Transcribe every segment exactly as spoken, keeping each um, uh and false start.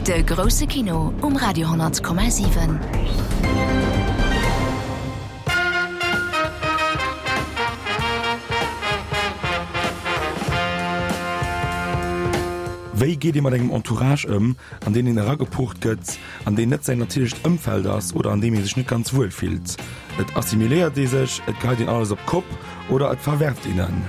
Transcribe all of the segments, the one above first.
De grousse Kino um Radio honnert Komma siwen. Wéi geet ee mat engem Entourage ëm, an deen een eragepucht gëtt, an deen net säin natierlecht Ëmfeld ass oder an deem ee sech net ganz wuel fillt? Et assimiléiert ee sech, et geheit een alles op d'Kopp oder et verwerft een en.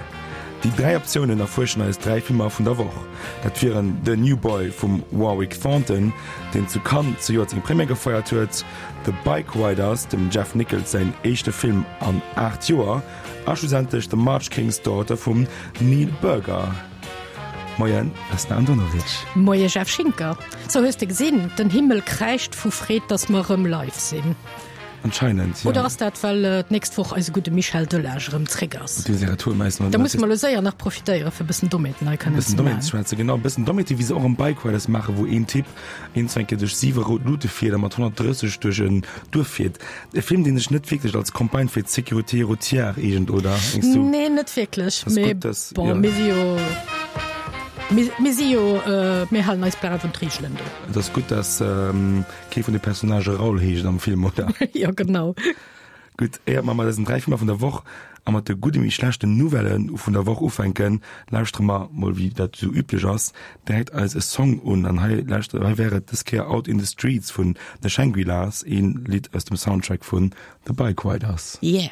Déi dräi Optiounen erfuerschen eis dräi Filmer vun der Woch. Dat wieren The New Boy vum Warwick Thornton, deen zu Cannes zejoert seng Première gefeiert huet, The Bikeriders, dem Jeff Nichols säin éischte Film an aacht Joer, a schlussendlech The March King's Daughter vum Neil Burger. Moien Vesna Andonovic. Moie Jeff Schinker. Sou, hues de gesinn, den Himmel kräischt vu Freed, dass mer erëm live sinn. Anscheinend, ja. Oder ass dat, well d'nächst Woch eise gudde Michel Delage erëm zréck ass? Dee säi Retour meist Da musse mer elo séier nach profitéieren, fir e bëssen Dommheeten hei kënnen ze maachen. Bëssen Dommheeten ze schwätzen, genau. E bëssen Dommheeten, wéi se och am Bike Riders maachen, wou een Typ een zwou eng Kéier duerch siwe rout Lute fiert a mat honnertdrësseg duerch en Duerf fiert. E Film, dee sech net wierklech als Campagne fir d'Sécurité routière eegent, oder? Mengs du? Nee, net wierklech. Ass Mee gutt, dass, bon, ja. mir si jo, mir, mir si jo, mir halen eis brav un d'Reegelen do. Et ass gutt, dass kee vun de Personnagë Raoul heescht am Film, oder? Jo, genau. Gutt, éiert mer mat eisen dräi Filmer vun der Woch a mat de gudde wéi schlechten Nouvellë vun der Woch ufänken, lauschtere mer mol, wéi dat esou üblech ass, direkt eis e Song un. An hei lauschtere, hei wär et dës Kéier Out in the Streets vun The Shangri-Las, ee Lidd aus dem Soundtrack vun The Bikeriders. Yeah!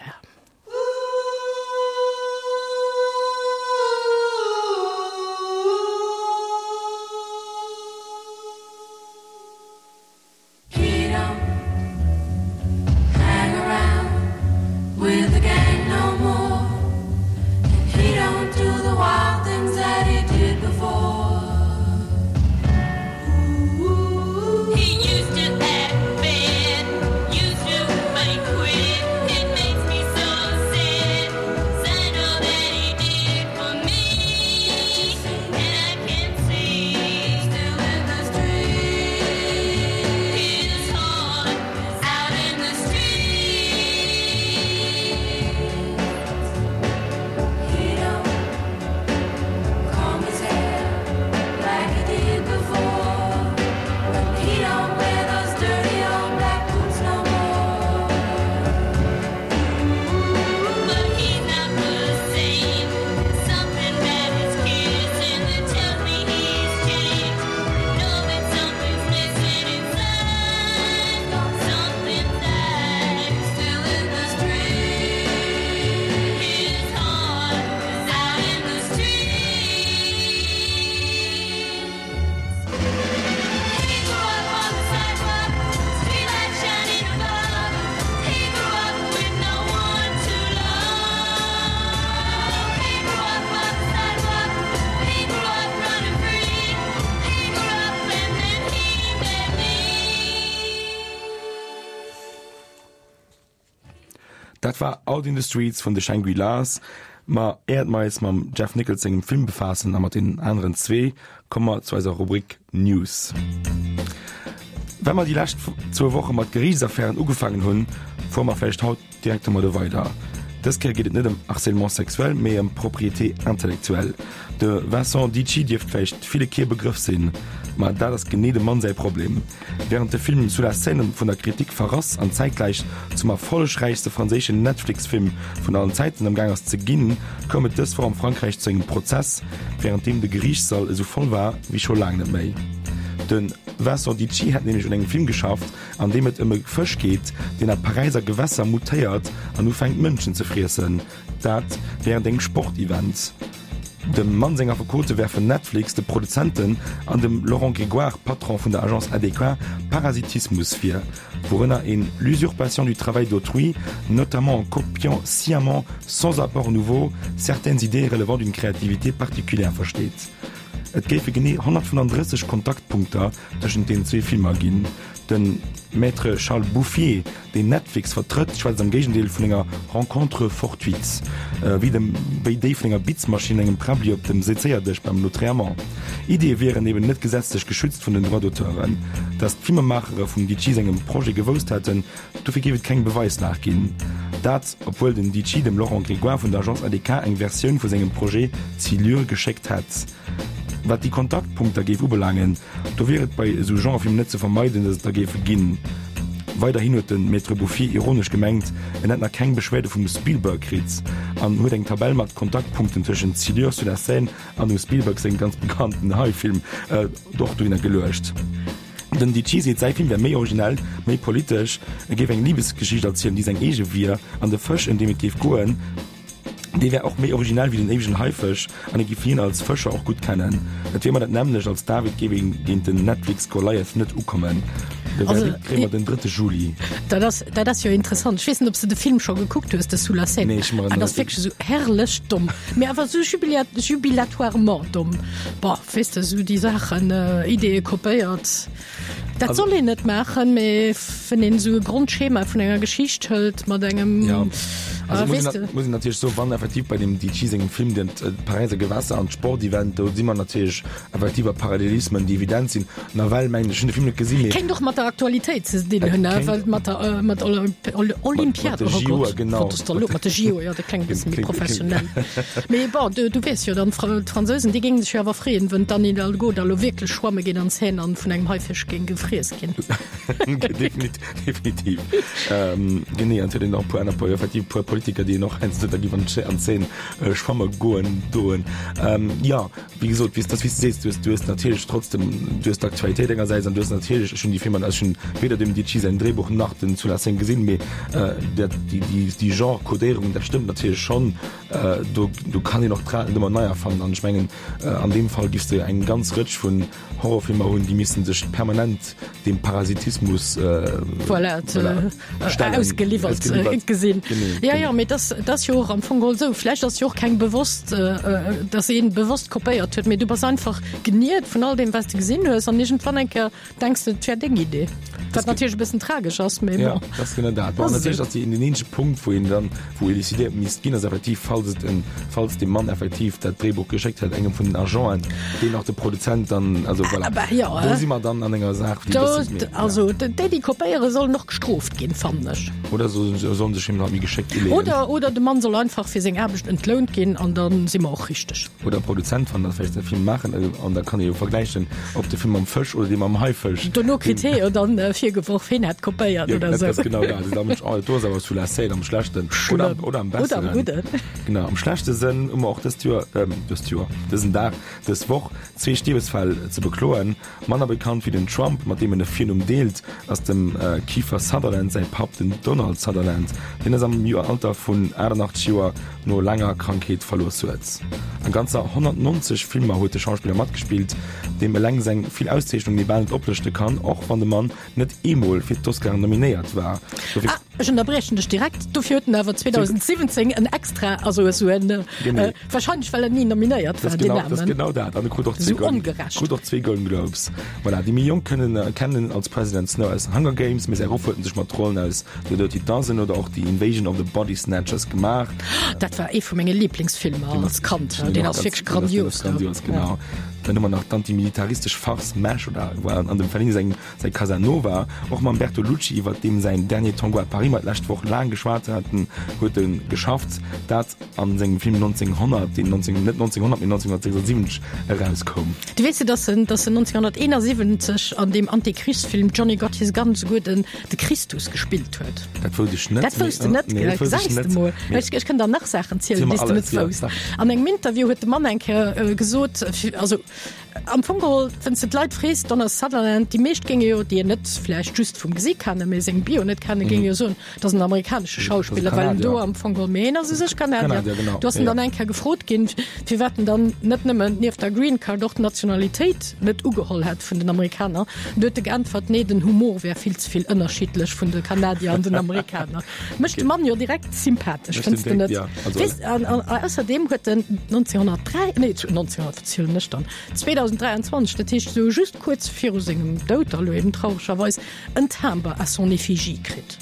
Dat war Out in the Streets vun de Shangri-Las. Ma éiert mer eis mam Jeff Nichols sengem Film befaassen a mat deenen aneren zwee, komme mer zu eiser Rubrik News. Well mer déi lescht zwou Woche mat Geriichtsaffären ugefaangen hunn, fuere mer vläicht haut direkt domadde weider. Dës Kéier geet et net ëm Harcèlement sexuel, mee ëm Propriété intellectuelle. De Vincent Dici dierft vläicht ville kee Begrëff sinn, ma dat ass genee dem Mann säi Problem. Wärend de Film Sous la Seine vun der Kritik verrass an zäitgläich zum erfollegräichste franséischen Netflix-Film vun allen Zäiten am Gaang ass ze ginn, koum et dës Woch am Frankräich zu engem Prozess, wärend deem de Geriichtssall esou voll war wéi scho laang net méi. De Vincent Dici hätt nämlech un engem Film geschafft, an deem et ëm e Fësch geet, deen a Paräiser Gewässer mutéiert an ufänkt Mënschen ze friessen. Dat wärend engem Sportevent. Dem Mann seng Affekote werfen Netflix, de Produzenten an dem Laurent Grégoire, Patron vun der Agence A D K, Parasitismus vir, wourënner een l'usurpation du travail d'autrui, notamment en copiant sciemment, sans apport nouveau, certaines idées relevant d'une créativité particulière versteet. Et géife genee honnertfënnenddrësseg Kontaktpunkter tëschent deenen zwee Filmer ginn. De Maître Charles Bouffier, deen Netflix vertrëtt, schwätzt am Géigendeel vun enger Rencontre fortuite, wéi dem wéi déi vun enger Bitzmaschinn, engem Prabbeli op dem Sezéierdësch beim Notréament. Ideeë wieren eben net gesetzlech geschützt vun den Droits-d'auteuren. Datt d'Filmemachere vum Dici sengem Projet gewousst hätten, dofir géif et keng Beweislag ginn. Dat, obwuel den Dici dem Laurent Grégoire vun der Agence A D K eng Versioun vu sengem Projet Silure geschéckt hätt. Wat déi Kontaktpunkter géif ubelaangen, do wier et bei esou Genrefilmer net ze vermeiden, datt et der géife ginn. Weiderhin huet de Maître Bouffier ironesch gemengt, en hätt nach keng Beschwerde vum Spielberg kritt an huet eng Tabell mat Kontaktpunkten tëschent Silure sur la Seine an dem Spielberg sengem ganz bekannten Hai-Film och dohinner geluecht. Den Dici seet, säi Film wär méi originell, méi politesch, e géif eng Libesgeschicht erzielen, déi seng eege wier, an de Fësch, ëm deem et géif goen, dee wär och méi originell wéi den éiwegen Haifësch an e géif hien als Fëscher och gutt kennen. Et wier ëmmer dat nämmlecht, als David géif een géint den Netflix-Goliath net ukommen. De Verdikt kréie mer den drëtte Juli. Dat ass, dat ass jo interessant. Ech weess net, ob s de de Film scho gekuckt hues, de Sous la Seine. Nee, ech hu mer en Dat ass wierklech esou herrlech domm, mee awer esou jubilia-, jubilatoirement domm. Boah, weess de, esou déi Saachen, Ideeë kopéiert, dat soll een net maachen, mee wann een esou e Grondschema vun enger Geschicht hëlt mat engem, Ja, also muss weess een de. muss een natierlech soen, wann effektiv bei dem Dici sengem Film den d'Paräiser Gewässer an d'Sportevent, do si mer natierlech effektiv a Parallelismen, déi evident sinn. Nawell mengen ech, ech hunn de Film net gesinn, mee. Kéint och mat der Aktualitéit ze dinn hunn, Et kéint. well mat der, mat Olympiad, Mat de oh J O, Gott, genau. wat ass da lo mat de J O, jo, dat klengt e bësse méi Klingt, klingt. professionell. Mee bon, du, du weess jo dann, d'Fransousen, déi géinge sech jo awer freeën, wann d'Anne Hidalgo da lo wierklech schwamme geet an d'Seine an vun engem Haifisch géing gefriess ginn. Definitiv, definitiv. Ähm, genee, an et huet een och e puer aner, effektiv e puer Politiker, déi een och heiansdo da giff an d'Sche-, an d'Seine schwamme goen doen. Ähm, jo, wéi gesot, wéi s, dat wéi s de sees, du hues, du hues natierlech trotzdem, du hues d'Aktualitéit engersäits an du hues natierlech, ech hunn déi Filmer, ech hunn weder dem Dici säin Dréibuch nach den Sous la Seine gesinn, mee dat, déi, déi, déi Genre-Codéierung, dat stëmmt natierlech schonn. Do, do kann een och d'Rad net ëmmer nei erfannen an ech mengen, an deem Fall giffs de eng ganz Rëtsch vun Horrorfilmer hunn, déi missten sech permanent dem Parasitismus voilà, stellen, ausgeliwwert ausgeliwwert gesinn. Genee, Ja, genee. ja, mee dat, dat ass jo och am Fong geholl esou. Vläicht ass jo och keng bewosst, dass een bewosst kopéiert huet, mee du bass einfach geniert vun all deem, wat s de gesinn hues an iergendwann eng Kéier denks de, et wär deng Idee. Wat natierlech e bëssen tragesch ass, mee Ja, bon. dat ass genau dat. Bon, Ass natierlech esou. ass déi, den eenzege Punkt, wou een dann, wou elucidéiert misst ginn, ass effektiv, falls et en, falls de Mann effektiv dat Dréibuch geschéckt hätt engem vun den Agenten, deen och de Produzent dann, also voilà. Ah, bah, ja, Do si mer dann an enger Saach, déi e Do, bëssen méi, ja. also déi, déi kopéiere sollen och gestrooft ginn, fannen ech. Oder so, sollen sech him halt méi geschéckt uleeën. Oder, oder de Mann soll einfach fir seng Aarbecht entlount ginn an dann si mer och richteg. Oder Produzent wann dat vläicht de Film maachen an da kann ee jo vergläichen, ob de Film mam Fësch oder dee mam Haifësch. Dono kritt hee jo dann virgeworf, heen hätt kopéiert Ja, oder dat sou. ass genau dat. Also da mensch, oh, do ass awer sous la Seine am schlechten oder am, Schlëmm. oder am Oder am besseren. gudden. Genau, am schlechte Sënn hu mer och dëst Joer, ähm, dëst Joer, dësen Dag, dës Woch zwee Stierwesfäll ze bekloen. Manner bekannt wéi den Trump, mat deem en e Virnumm deelt, ass dem Kiefer Sutherland säi Papp, den Donald Sutherland. Deen ass am Alter vun achtannachtzeg Joer no laanger Krankheet verlooss huet. A ganzer honnertnonzeg Filmer huet de Schauspiller matgespillt, deem eleng seng vill Auszeechnungen ee bal net oplëschte kann, och wann de Mann net eemol fir d'Oscaren nominéiert war. Dofir. Ah, ech ënnerbriechen dech direkt, dofir huet en awer zweedausendsiwwenzéng en extra, also esou en, Genee. wahrscheinlech well en ni nominéiert Das war, deen genau, das Aarmen. genau dat. An e krut och zwee Esou Golden, ongerecht. krut och zwee Golden Globes. Voilà, déi méi Jonk kënnen kennen en als President Snow aus Hunger Games, mee säi Ruff huet en sech mat Rollen aus The Dirty Dozen oder och The Invasion of the Body Snatchers gemaach. Dat war ee vu menge Lieblingsfilmer als Kand. Deen Deen ass ass wierklech ganz, deen ass grandios. grandios, genau. Dann hu mer nach d'antimilitaristesch Farce Mash oder an dem Fellini seng säi Casanova. Och mam Bertolucci, iwwer deem säin Dernier Tango à Paris mer d'lescht Woch laang geschwat haten, huet e geschafft. Dat an sengem Film neunzehnhundert, deen neunzehn, net neunzehnhundert, mee neunzehnhundertsechsundsiwwenzeg erauskoum. Du weess, dass en, dass en neunzehnhunderteenundsiwwenzeg an deem Antikrichsfilm Johnny Got His Gun souguer den, de Christus gespillt huet. Dat wousst ech net. Dat wousst de net, Nee, gell? dat wousst ech Gesäis de net. mol. Nee. Ech, ech kënnt der nach Saachen zielen, Ziel mer déi s de alles, net ja, wousst. sag. An engem Interview huet de Mann eng Kéier äh, gesot, fir, also am Fong geholl, wann s de d'Leit frees, Donald Sutherland, déi meescht géinge jo, déi en net vläicht just vum Gesicht kennen, mee seng Bio net kennen, géinge jo soen, dat ass en amerikanesche Schauspiller, well en do Kanadier. am Fong geholl, mee en ass u sech Kanadier. Kanadier, genau. Du ass en Ja, dann ja. eng Kéier gefrot ginn, firwat en dann net nëmmen nieft der Green Card och d'Nationalitéit net ugeholl hätt vun den Amerikaner. Du huet e geäntwert, nee, den Humor wär vill ze vill ënnerschiddlech vun de Kanadier an den Amerikaner. Mécht de Mann jo direkt sympathesch, Mécht fënns den de direkt, net? ja. Also, Weess, an, an, ausserdem huet en neunzehnhundertdräi, nee, neunzehnhundert, verzielen ech dann, zweedausenddräianzwanzeg, dat heescht esou just kuerz viru sengem Doud, elo eben trauregerweis, en Timber à son effigie kritt.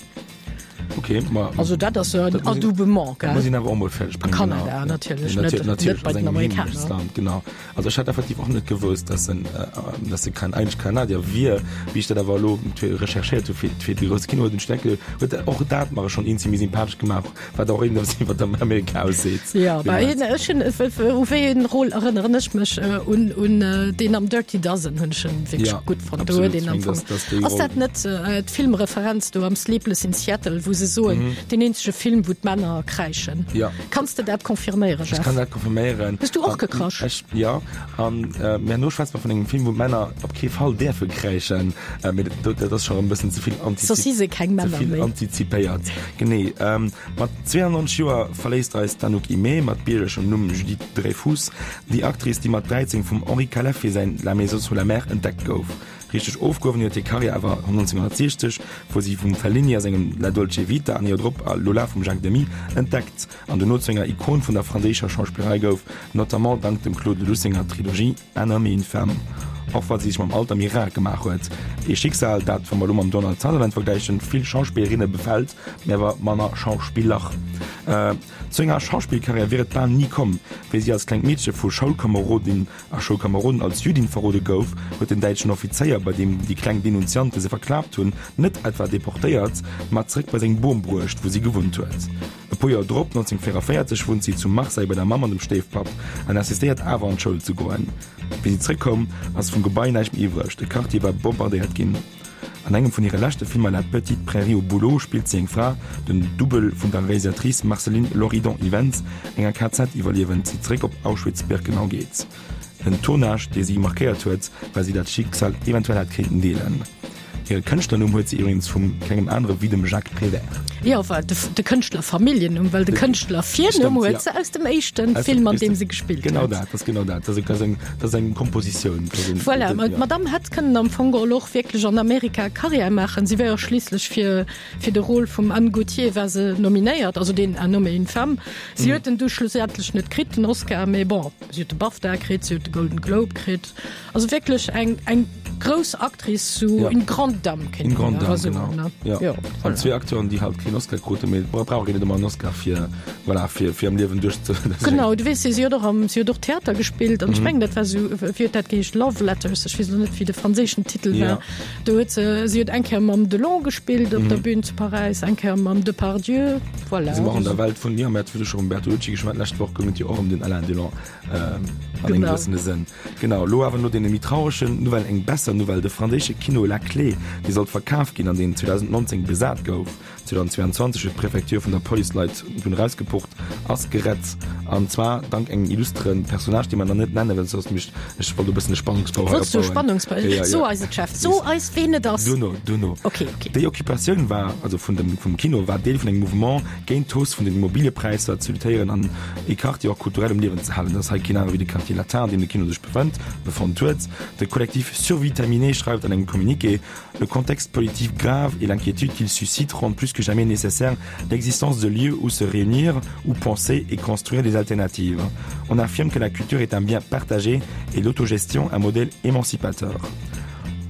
Okay, ma Also dat ass en Dat muss een- Adoubement, dat muss gell? een awer och mol fäerdeg A bréngen, Kanada genau. natierlech, Ja, net, natierlech, net natierlech, bei ass den engem Amerikaner. Heemechtsland, genau. Also ech hat effektiv och net gewosst, dass en, äh, dass e kein eigentlich Kanadier wier, wéi ech dat awer elo recherchéiert hu fir, fir de grousse Kino, huet den Steckel, huet och dat mar schonn een zimmlech sympathesch gemaach, wat och irgendwas iwwer dem Amerika ausseet. Ja, bei Deemools. ech hunn, u wéi een Rôle erënneren ech mech äh, un, un äh, deen am Dirty Dozen hunn ech en wierklech Ja, gutt fonnt. Do huet absolut. een am Ech meng, Fong dass- dass déi Ass Roll- dat net äh, d'Filmreferenz do am Sleepless in Seattle, wou se soen, deen eenzege Film, wou d'Männer kräischen? Mhm. Ja. Kanns de dat confirméieren, Ech Jeff? kann dat confirméieren. Hues du och An- gekrasch? Ech, ja. An, äh, mä no schwätze mer vun engem Film, wou Männer op kee Fall däerfe kräischen. Äh, mee dat, dat ass scho e bëssen ze vill Soss si se keng ze Männer vill méi. antizipéiert. Genee. Ähm, mat zweiundneunzeg Joer verléisst eis d'Anouk Aimée mat biergerlechem Numm Judith Dreyfus, déi Actrice, déi mat dräizéng vum Henri Calef fir säin La maison sous la mer entdeckt gouf. Richteg ofgehuewen huet hir Karriär awer neunzehnhundertsechzeg, wou si vum Fellini a sengem La Dolce Vita an Joer drop a Lola vum Jacques Demy entdeckt an dono zu enger Ikon vun der franséischer Schauspillerei gouf, notamment dank dem Claude Lelouch senger Trilogie Un homme et une femme. Och wa si sech mam Alter méi rar gemaach huet. Ee Schicksal, dat, wa mer elo mam Donald Sutherland vergläichen, vill Schauspillerinne befält, mee awer manner Schauspiller. Äh, zu enger Schauspillkarriär wier et bal ni komm. Wéi si als klengt Meedche vu Schoulkamerodin a Schoulkameroden als Jüdin verrode gouf, huet den däitschen Offizéier, bei deem déi kleng Denunziante se verklaapt hunn, net etwa deportéiert, ma zeréck bei seng Bom bruecht, wou si gewunnt huet. E puer Joer drop, neunzehnhundertvéierunddräisseg, wunnt si zu Marseille bei der Mamm an dem Stéifpapp an insistéiert awer an d'Schoul ze goen. Wéi si zeréckkoum, ass vum Gebai näischt méi iwwreg, de Quartier war bombardéiert ginn. An engem vun hire leschte Filmer La petite prairie au bouleau spillt si eng Fra, den Dubbel vun der Realisatrice Marceline Loridan-Ivens, enger K Z-Iwwerliewend, déi zeréck op Auschwitz-Birkenau geet. En Tournage, dee si markéiert huet, well si dat Schicksal eventuell hätt kéinten deelen. Hire Kënschtlernumm huet si iwwregens vum kengem anere wéi dem Jacques Prévert. Jo, well de, de Kënschtlerfamilljennumm, well de Kënschtlervirnumm Stimmt, huet ja. se aus dem éischten Aus Film, dem an deem éischten- se gespillt Genau huet. dat, dat ass genau dat. Dat ass, dat ass eng, dat ass eng Kompositioun. Dat ass en- Voilà, ja. d'Madame hätt kënnen am Fong geholl och wierklech an Amerika Karriär maachen. Si war jo schliisslech fir, fir de Rôle vum Anne Gaultier war se nominéiert, also deen Un homme et une femme. Si Mhm. huet en du schlussendlech net kritt, den Oscar, mee bon, si huet de BAFTA kritt, si huet de Golden Globe kritt. Also wierklech eng, eng grouss Actrice, sou Ja. une grande dame kéint Une grande een awer dame, soen, genau. ne? Ja. Jo, An voilà. zwee Acteuren, déi halt keen Oscar kruten, mee brauch een net ëmmer en Oscar fir, voilà, fir, fir am Liewen duerch ze. Genau, du weess, si huet och am, si huet och Theater gespillt an ech Mhm. mengen, dat war sou, wéi huet dat geheescht, Love Letters, ech weess elo net, wéi de franséischen Titel Ja. war. Do huet se, si huet eng Kéier mam Delon gespillt op Mhm. der Bühn zu Paräis, eng Kéier mam Depardieu, voilà. Si war an der Welt vun, jo, mir hate scho ëm Bertolucci geschwat, d'lescht Woch goung et jo och ëm den Alain Delon, ähm, an engem Genau. gewëssene Sënn. Genau, lo awer no deene méi trauregen Nouvellen eng besser Nouvelle, de franséische Kino La Clé, dee sollt verkaf ginn an deen zweedausendnonzéng besat gouf, zweedausendzweiundzwanzeg huet d'Prefecture vun der Police Leit dunn erausgepucht, ass gerett. An zwar dank engem illustren Personnage, dee mer nach net nennen, well soss mischt ech wollt e bëssen e Spannungsbau hei Wollts du opbauen. Spannungsbau? Ja, ja, So ja. eis et, Chef, so eis ween et ass. Duerno, duerno. Okay, okay. Déi Occupatioun war, also vun dem, vum Kino, war Deel vun engem Mouvement géint d'Hausse vun den Immobiliëpräisser ze luttéieren an e Quartier och kulturell um Liewen ze halen. Dat ass hei keen anere wéi de Quartier Latin, an deem de Kino sech befënnt, befonnt huet. De Collectif Survitaminé schreift an engem Communiqué, Le contexte politique grave et l'inquiétude qu'il suscite rendent plus que jamais nécessaire l'existence de lieux où se réunir, où penser et construire des alternatives. On affirme que la culture est un bien partagé et l'autogestion un modèle émancipateur.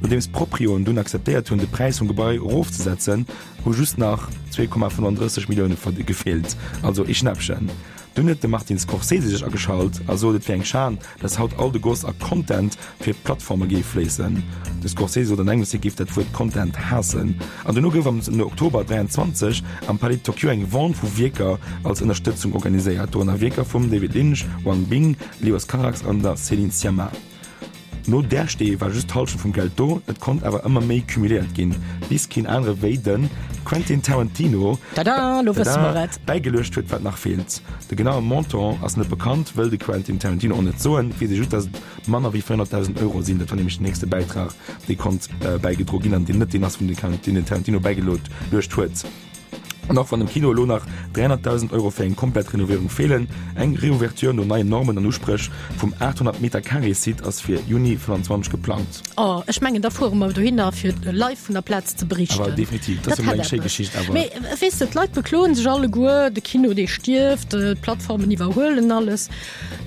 Nodeems d'Proprioen dunn akzeptéiert hunn, de Präis vum Gebai erofzesetzen, hu just nach zwee Komma fënnenddrësseg Millioune gefeelt, also ee Schnäppchen. Dunn huet de Martin Scorsese sech ageschalt a sot, et wier eng Schan, dass haut all de Goss a Content fir d'Plattforme géif fléissen. De Scorsese sot an engems, hie géif dat Wuert Content haassen. An dono gouf am Oktober dräianzwanzeg am Palais de Tokyo eng Vente vu Wierker als Ënnerstëtzung organiséiert, dorënner Wierker vum David Lynch, Wang Bing, Leos Carax an der Céline Sciamma. No där Stee war just d'Hallschent vum Geld do, et konnt awer ëmmer méi cumuléiert ginn, bis keen anere wéi de Quentin Tarantino Tada, lo wësse mer et. bäigeluecht huet, wat nach feelt. De genaue Montant ass net bekannt, wëll de Quentin Tarantino och net soen, weess ee just, dass et manner wéi véierhonnertdausend Euro sinn. Dat war nämlech den nächste Bäitrag, dee konnt bäigedroe ginn an deen net deen ass, vun deen den Tarantino bäigeluecht huet. An och wann dem Kino elo nach dräihonnertdausend Euro fir eng komplett Renovierung feelen, eng Reouverture no neien Normen an Uspréch vum achthonnert Meter Carré Site ass fir Juni fënnanzwanzeg geplangt. Oh, ech mengen da fuere mer dohinner fir live vun der Plaz ze berichten. Awer definitiv, dat ass Dat jo mol hätt eng schéi eppes. Geschicht awer. Mee weess de, d'Leit bekloen sech alleguer, de Kino dee stierft, d'Plattformen iwwerhuelen alles.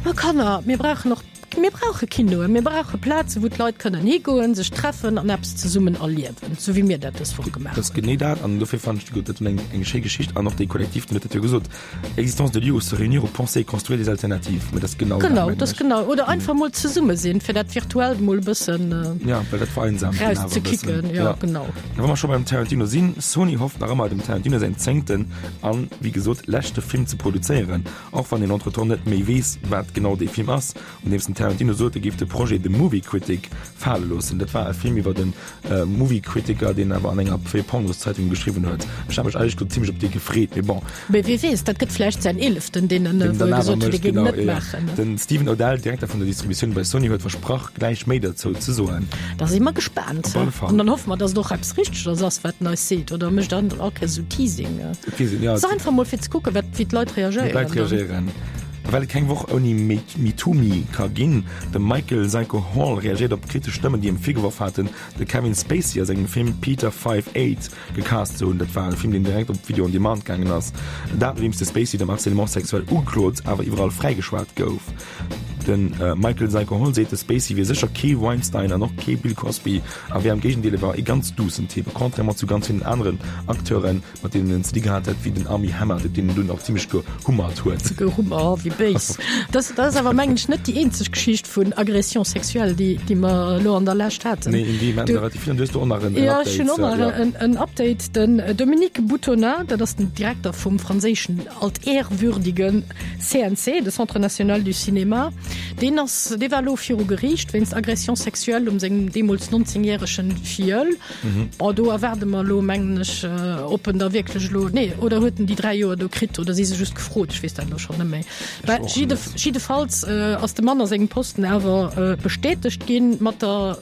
Ma Kanner, mir brauchen och Mir brauche Kinoen, mir brauche Plaze wou d'Leit kënnen higoen, sech treffen an eppes zesummen erliewen, sou wéi mir dat dës Woch gemaach hunn. Dat ass genee dat an dofir fannen ech dat eng eng schéi Geschicht an och dee Kollektiv, deen huet dat jo gesot, Existence de lieux où se réunir, où penser et construire des alternatives. Mä dat ass genau dat, Genau, mengen dat ass ech. genau. Oder einfach mol zesumme sinn, fir dat Virtuellt mol e bëssen Ja, well dat vereinsamt een awer e bëssen. erauszekicken. Jo, genau. A wa mer scho beim Tarantino sinn, Sony hofft nach ëmmer, dem Tarantino säin zéngten an, wéi gesot, leschte Film ze produzéieren, och wann een entretemps net méi weess, wat genau dee Film ass. Nodeems den Tarantino sot, e géif de Projet The Movie Critic fale loossen. Dat war e Film iwwer e Movie-Kritiker, deen awer an enger fir Pornoszeitung geschriwwen huet. Ech hat mech éierlech gesot zimmlech op dee gefreet, mee bon. Mee wie weess, dat gëtt vläicht säin eeleften, deen en, Deen wou dann e awer gesot huet, e mécht, géing genau, net jo, jo. maachen. Den Stephen O'Dell, Direkter vun der Distributioun bei Sony, huet versprach, gläich méi derzou ze soen. Da si mer gespaant. Op alle Fall. An dann hoffe mer, dass et och eppes Richteges ass, wat en eis seet. Oder mécht en all Kéiers esou Teasing? Et weess een, jo. Et ass einfach mol fir ze kucken, wat, wéi d'Leit Wéi d'Leit reagéieren dann. reagéieren. Well et keng Woch ouni MeTooMe ka ginn, de Michael Zyko Hall reagéiert op kritesch Stëmmen, déi him virgeworf haten, de Kevin Spacey a sengem Film Peter Five Eight gecast ze hunn. Dat war e Film, deen direkt op Video on Demand gaangen ass. Dat nodeems de Spacey dem Harcèlement sexuel ugeklot, awer iwwerall fräigeschwat gouf. De Michael Zyko Hall seet, de Spacey wier sécher kee Weinstein an och kee Bill Cosby a wier am Géigendeel e war e ganz duussen Typ, contrairement zu ganz villen aneren Acteuren. Mat deenen en ze di gehat hätt, wéi den Armie Hammer, op deen en dunn och zimmlech gehummert huet. Gehummert, oh, wéi béis. Dat, dat ass awer, mengen ech, net déi eenzeg Geschicht vun Agression sexuelle, déi, déi mer elo an der Lescht haten. Nee, in deem haten der relativ vill. An du hues do och nach en, en Ja, ech Update. hunn och nach Ja. en, en Update. Den Dominique Boutonnat, dat ass den Direkter vum franséischen altehrwürdige C N C, de Centre national du cinéma, deen ass, dee war elo viru Geriicht wéinst Agression sexuelle um sengem deemools nonzéngjäregen Filleul. Bon, do erwaarde mer elo, mengen ech, ob en da wierklech elo, nee, oder huet en déi dräi Joer do kritt oder si se just gefrot, ech weess dat elo schonn net méi. Bah, jidde, jiddefalls ass de Mann a sengem Posten awer bestätegt ginn mat der,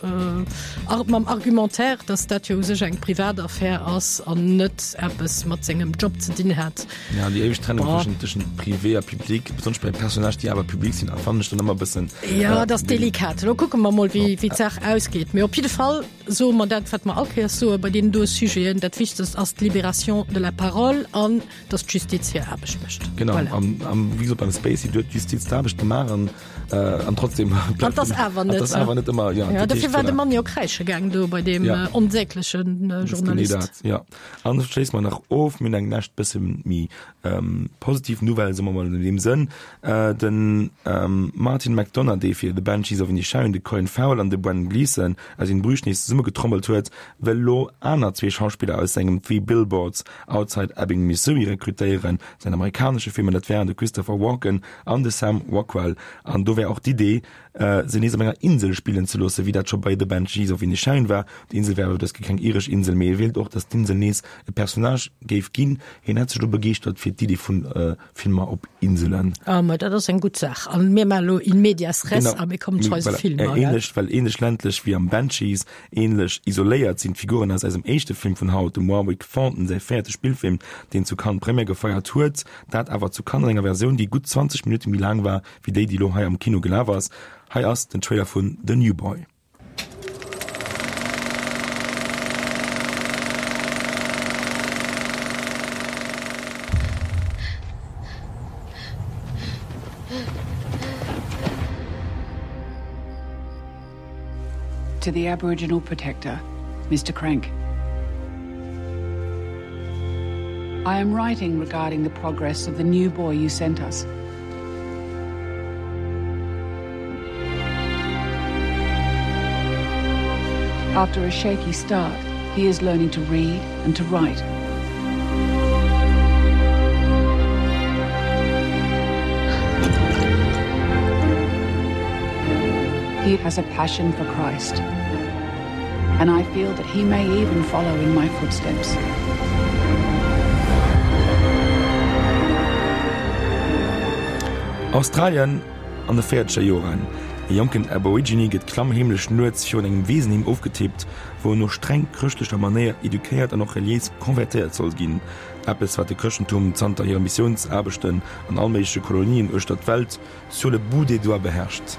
mam Argumentaire, datt dat jo u sech eng privat Affär ass an net eppes mat sengem Job ze dinn hätt. Ja, déi éiweg Trennung tëschent, tëschent privé a public, besonnesch bei Personnage, déi awer public sinn, fannen ech dann ëmmer e bëssen. Ja, dat ass delikat. Elo kucke mer mol, wéi, wéi d'Saach ausgeet. Mee op jidde Fall soe mer dat, wat mer all Kéiers soe bei deenen doe Sujeten, Dat Wichtegst ass d'Libération de la parole an dass d'Justiz hir Aarbecht mécht. Genau, Voilà. an, an wéi gesot, beim Spacey, do huet d'Justiz d'Aarbecht gemaach an, äh, an trotzdem An bleift dass den, awer an net, dass awer net ëmmer, ja, Ja, dat dofir heescht, war de voilà. Mann jo kräische gaang do bei deem Ja. äh, onsäglechen äh, Dat ass genee Journalist. dat, ja. An schléisse mer nach of, mir hunn eng lescht bësse méi ähm, positiv Nouvelle, soe mer mol an deem Sënn. Äh, den ähm, Martin McDonagh, dee fir The Banshees of Inisherin de Colin Farrell an de Brendan Gleeson aus In Bruges nees zesummegetrommelt huet, wëll elo aner zwee Schauspiller aus sengem Three Billboards Outside Ebbing, Missouri rekrutéieren, säin amerikanesche Film, an dat wären de Christopher Walken an de Sam Rockwell. An do wär och d'Idee, se nees op enger Insel spillen ze loossen, wéi dat scho bei The Banshees of Inisherin war. D'Insel wär awer dës Kéier keng iresch Insel, mee e wéilt och, datt d'Insel nees e Personnage géif ginn. Hien hätt sech elo begeeschtert fir d'Idee vu Filmer op Inselen. Ah, ma dat ass eng gutt Saach. An mir maachen elo in medias res Genau. a mir kommen zu eise Voilà. Filmer, gell? Ähnlech, well ähnlech ländlech wéi am Banshees, ähnlech isoléiert sinn d'Figuren aus eisem éischte Film vun haut, dem Warwick Thornton säi véierte Spillfilm, deen zu Cannes Première gefeiert huet, dat awer zu Cannes an enger Versioun, déi gutt zwanzeg Minutte méi laang war wéi déi, déi elo hei am Kino gelaf ass. Hei ass den Trailer vun The New Boy. To the Aboriginal Protector, Mister Crank. I am writing regarding the progress of the new boy you sent us. After a shaky start, he is learning to read and to write. He has a passion for Christ, and I feel that he may even follow in my footsteps. Australien an de véierzeger Joren. E jonken Aborigine gëtt klammheemlech nuets virun engem Weesenheem ofgetippt, wou en no streng chrëschtlecher Manéier eduquéiert an och reliéis konvertéiert soll ginn. Eppes, wat de Chrëschtentum zanter hire Missiounsaarbechten an all méigleche Kolonien uechter d'Welt sur le bout des doigts beherrscht.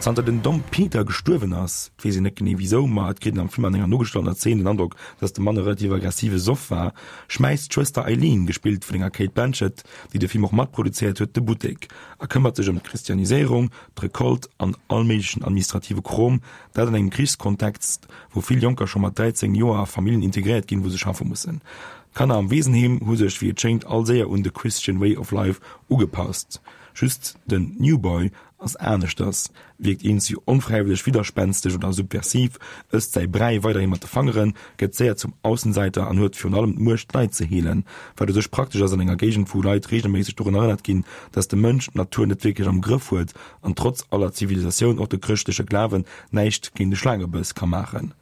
Zanter den Dom Peter gestuerwen ass, et weess een net genee wisou, ma et kritt een am Film an enger nogestaltener Zeen den Androck, dass de Mann e relativ aggressive Soff war, schmäisst d'Schwëster Eileen, gespillt vun enger Cate Blanchett, déi de Film och matproduzéiert huet, de Buttek a këmmert sech ëm d'Christianiséierung, d'Recolte an all méiglechen administrative Krom, dat an engem Krichskontext, wou vill Jonker scho mat dräizéng Joer a Familljen integréiert ginn, wou se schaffe mussen. D'Kanner am Weesenheem hu sech, wéi et schéngt, all séier un de Christian Way of Life ugepasst. Just den New Boy ass aneschters, wierkt eenzi onfräiwëlleg widderspänsteg oder subversiv, ësst säi Bräi weiderhi mat de Fangeren, gëtt séier zum Aussenseiter an huet virun allem d'Muecht, d'Leit ze heelen, wat u sech praktesch ass an enger Géigend, wou Leit reegelméisseg dorun erënnert ginn, dass de Mënsch d'Natur net wierklech am Grëff huet an trotz aller Zivilisatioun och de chrëschtleche Glawen näischt géint e Schlaangebëss ka maachen.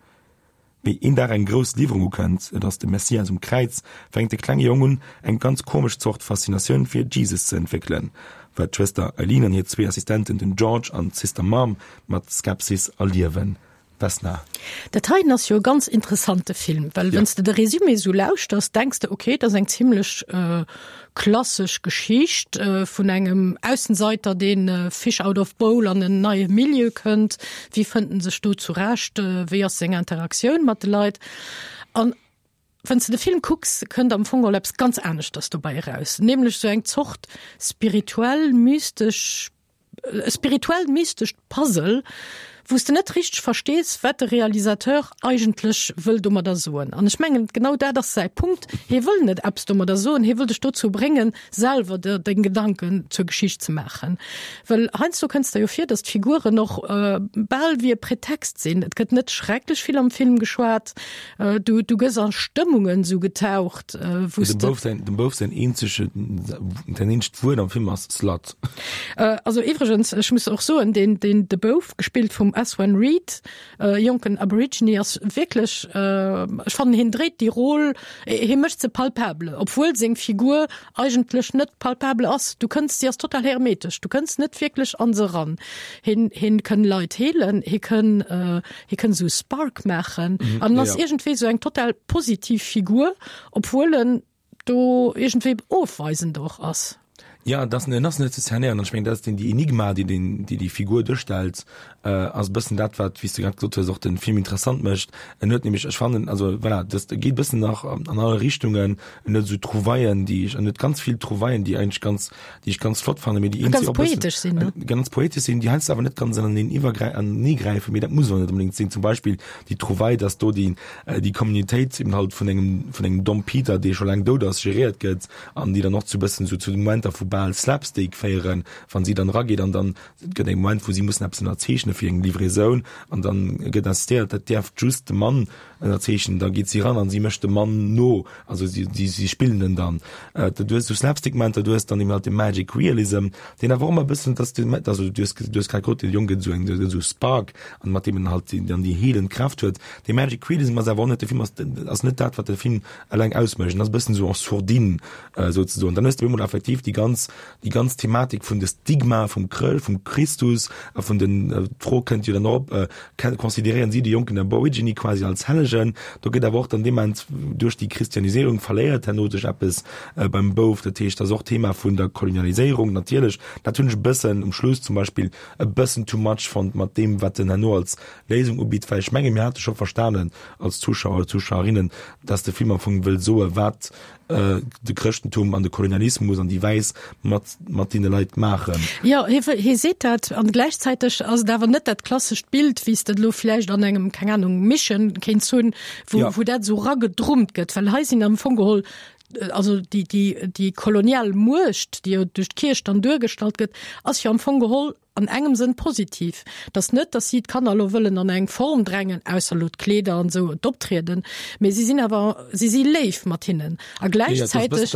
Wéi een Dag eng grouss Liwwerung ukënnt, et ass de Messias um Kräiz, fänkt de klenge Jong un, eng ganz komesch Zort Faszinatioun fir Jesus ze entwéckelen, wat d'Schwëster Eileen an hir zwee Assistenten, den George an d'Sister Mom, mat Skepsis erliewen. Vesna. Dat heiten ass jo e ganz interessante Film, well wann s de de Résumé esou lauschters, denks de, okay, dat ass eng zimlech klassesch Geschicht vun engem Aussenseiter, deen fish out of bowl an en neie Milieu kënnt, wéi fënnt en sech do zurecht, wéi ass seng Interaktioun mat de Leit. An wann s de de Film kucks, kënnt am Fong geholl eppes ganz aneschters dobäi eraus, nämlech sou eng Zort spirituell mystesch, e spirituell mystescht Puzzle, wou s de net richteg verstees, wat de Realisateur eigentlech wëll domadder soen. An ech mengen, genau dat ass säi Punkt, Hie wëll net eppes domadder soen, hie wëll dech dozou bréngen, selwer der deng Gedanken zur Geschicht ze maachen. Well heiansdo kënns der jo vir, datt d'Figuren och bal wéi e Pretext sinn. Et gëtt net schrecklech vill am Film geschwat, du, du gëss a Stëmmungen esou getaucht, wou s Dem de. Bouf säin, dem Bouf säin eenzege, säin eenzegt Wuert am Film ass Slut. Also iwwregens, ech muss och soen, deen, deen, de Bouf, gespillt vum Aswan Reid, jonken Aborigine, ass wierklech, ech fannen hien dréit déi Rôle, hie mécht se palpable, obwuel seng Figur eigentlech net palpable ass. Du kënns, si ass total hermetesch, du kënns net wierklech an se eran. Hien, hien kënn Leit heelen, hie kënn, hie kënn esou Spark maachen an en ass iergendwéi esou eng total positiv Figur, obwuel en do iergendwéi ofweisend och ass. Ja, dat en ass net ze cernéieren. An ech mengen, dat ass den déi Enigma, déi den, déi déi Figur duerstellt, äh, ass e bëssen dat, wat, wéi s de grad gesot hues, och den Film interessant mécht. En huet nämlech, ech fannen, also voilà, dat geet e bëssen nach an alle Richtungen. En huet esou Trouvaillen, déi ech, en huet ganz vill Trouvaillen, déi eigentlech ganz, déi ech ganz flott fannen, mee déi Ganz eenzi och e bëssen, poetesch sinn, ne? ganz poetesch sinn, déi heiansdo awer net ganz aneneen iwwergräi-, aneneegräifen, mee dat muss och net unbedéngt sinn. Zum Beispill déi Trouvaille, dass do déi, déi Communautéit eben halt vun engem, vun engem Dom Peter, dee scho laang dout ass, geréiert gëtt an déi dann och zu bëssen sou zu Momenter vu bal Slapstick féieren, wann si dann erageet an dann et gëtt e Moment, wou si mussen eppes ënnerzeechne fir eng Livraisoun an dann gëtt insistéiert, dat däerf just de Mann ënnerzeechnen, da geet si eran an si mécht de Mann no, also si, si, si spillen en dann. Du hues sou Slapstick-Momenter, du hues dann eben halt de Magic Realism, deen awer och ëmmer e bëssen, dass de, also du hues, du hues grad gesot, de Jong gëtt esou eng, gëtt esou Spark an mat deem en halt déi, dann déi heelend Kraaft huet. De Magic Realism ass awer och net, de Film ass, ass net dat, wat de Film eleng ausmécht, en ass e bëssen esou en sourdine, souzesoen. Dann hues de op eemol effektiv déi ganz, déi ganz Thematik vun de Stigma vum Chrë, vum Christus a vun den, d'Fro kënnt jo dann och op, consideréieren si de jonken Aborigine quasi als Hellegen? Do gëtt awer och dann dement duerch déi Christianiséierung verléiert herno sech eppes beim Bouf. Dat heescht, dat ass och d'Thema vun der Kolonialiséierung natierlech. Dat hunn ech e bëssen um Schluss zum Beispill e bëssen too much fonnt mat deem, wat en herno als Léisung ubitt, well ech menge mir hate scho verstanen als Zuschauer oder Zuschauerinnen, dass de Film am Fong wëll soe wat de Chrëschtentum an de Kolonialismus an déi Wäiss mat mat deene Leit maachen. Jo, hie wëll, hie seet dat an gläichzäiteg ass et awer net dat klassescht Bild, wéi s de et elo vläicht an engem, keng Ahnung, Mission kéints hunn, wou, wou dat esou eragedrummt gëtt, well hei sinn am Fong geholl, also déi, déi, déi kolonial Muecht, déi jo duerch d'Kierch dann duergestallt gëtt, ass jo am Fong geholl an engem Sënn positiv. Et ass net, datt si d'Kanner elo wëllen an eng Form drängen, ausser elo d'Kleeder an esou, d'Optrieden, mee si sinn awer, si si léif mat hinnen. A gläichzäiteg,